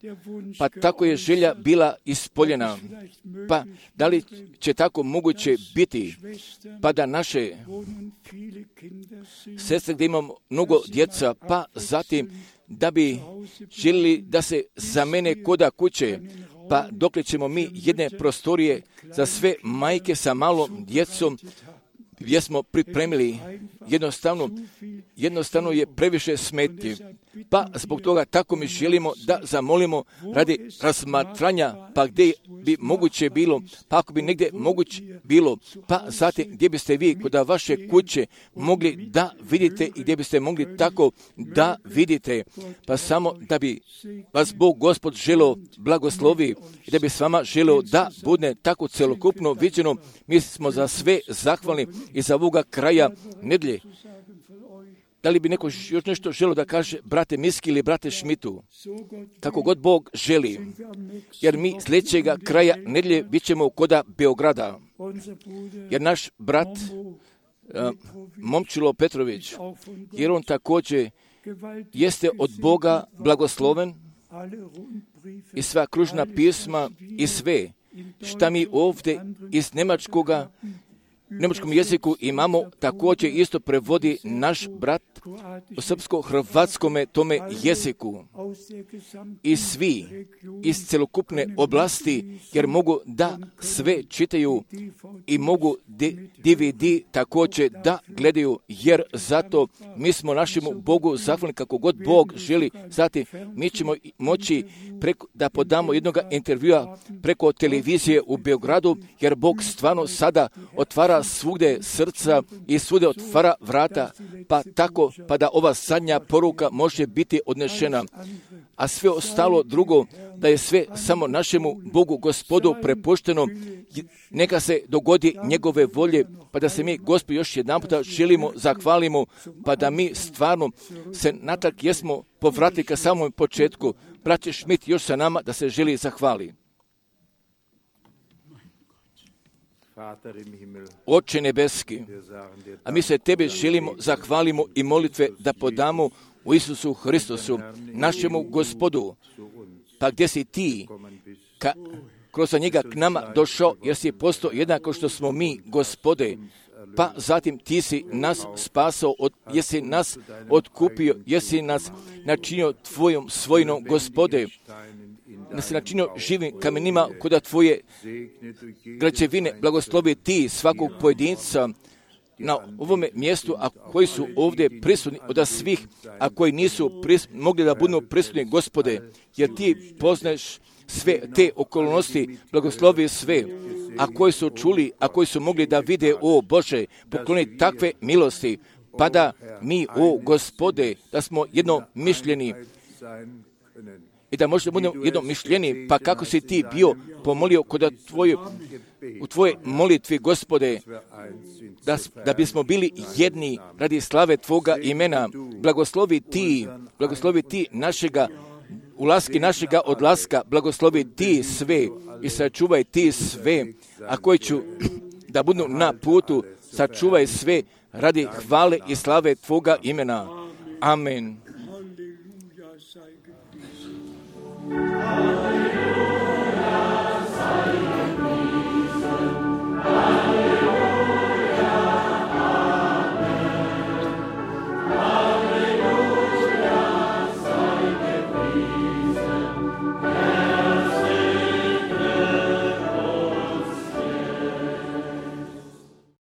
S1: Pa tako je želja bila ispoljena. Pa da li će tako moguće biti? Pa da naše sestre gdje imamo mnogo djeca, pa zatim da bi željeli da se zamene koda kuće, pa dokle ćemo mi jedne prostorije za sve majke sa malom djecom gdje smo pripremili, jednostavno je previše smetnji. Pa zbog toga tako mi želimo da zamolimo radi razmatranja, pa gdje bi moguće bilo, pa ako bi negdje moguće bilo, pa zatim gdje biste vi kod vaše kuće mogli da vidite i gdje biste mogli tako da vidite, pa samo da bi vas Bog Gospod želeo blagoslovi i da bi s vama želeo da bude tako celokupno viđeno. Mi smo za sve zahvalni i za ovoga kraja nedjelje. Da li bi neko još nešto želio da kaže brate Miski ili brate Šmitu? Kako god Bog želi. Jer mi sljedećega kraja nedjelje bit ćemo koda Beograda. Jer naš brat Momčilo Petrović, jer on također jeste od Boga blagosloven i sva kružna pisma i sve šta mi ovdje iz njemačkom jeziku imamo, također isto prevodi naš brat u srpsko-hrvatskome tome jeziku. I svi iz celokupne oblasti, jer mogu da sve čitaju i mogu DVD također da gledaju, jer zato mi smo našemu Bogu zahvalni kako god Bog želi. Zatim mi ćemo moći da podamo jednog intervjua preko televizije u Beogradu, jer Bog stvarno sada otvara svugde srca i svugde otvara vrata, pa tako, pa da ova zadnja poruka može biti odnešena. A sve ostalo drugo, da je sve samo našemu Bogu Gospodu prepušteno, neka se dogodi njegove volje, pa da se mi, Gospod, još jedan puta želimo, zahvalimo, pa da mi stvarno se natrag jesmo povratili ka samom početku. Braće Šmit još sa nama da se želi zahvali. Oče nebeski, a mi se Tebe želimo, zahvalimo i molitve da podamo u Isusu Hristosu, našemu Gospodu, pa gdje si Ti, kroz njega k nama došao, jer si postao jednako što smo mi, Gospode, pa zatim Ti si nas spasao, jesi nas otkupio, jesi nas načinio Tvojom svojinom, Gospode, da se načinio živim kamenima kuda Tvoje građevine. Blagoslovi Ti svakog pojedinca na ovome mjestu, a koji su ovdje prisutni od svih, a koji nisu mogli da budu prisutni, Gospode, jer Ti poznaješ sve te okolnosti, blagoslovi sve, a koji su čuli, a koji su mogli da vide, o Bože, pokloni takve milosti, pa da mi, o Gospode, da smo jednomišljeni i da možda budemo jednomišljeni, pa kako si Ti bio pomolio kod u Tvojoj molitvi, Gospode, da bismo bili jedni radi slave Tvoga imena. Blagoslovi Ti našega ulaska, našega odlaska, blagoslovi Ti sve i sačuvaj Ti sve, a koji ću da budu na putu, sačuvaj sve radi hvale i slave Tvoga imena. Amen.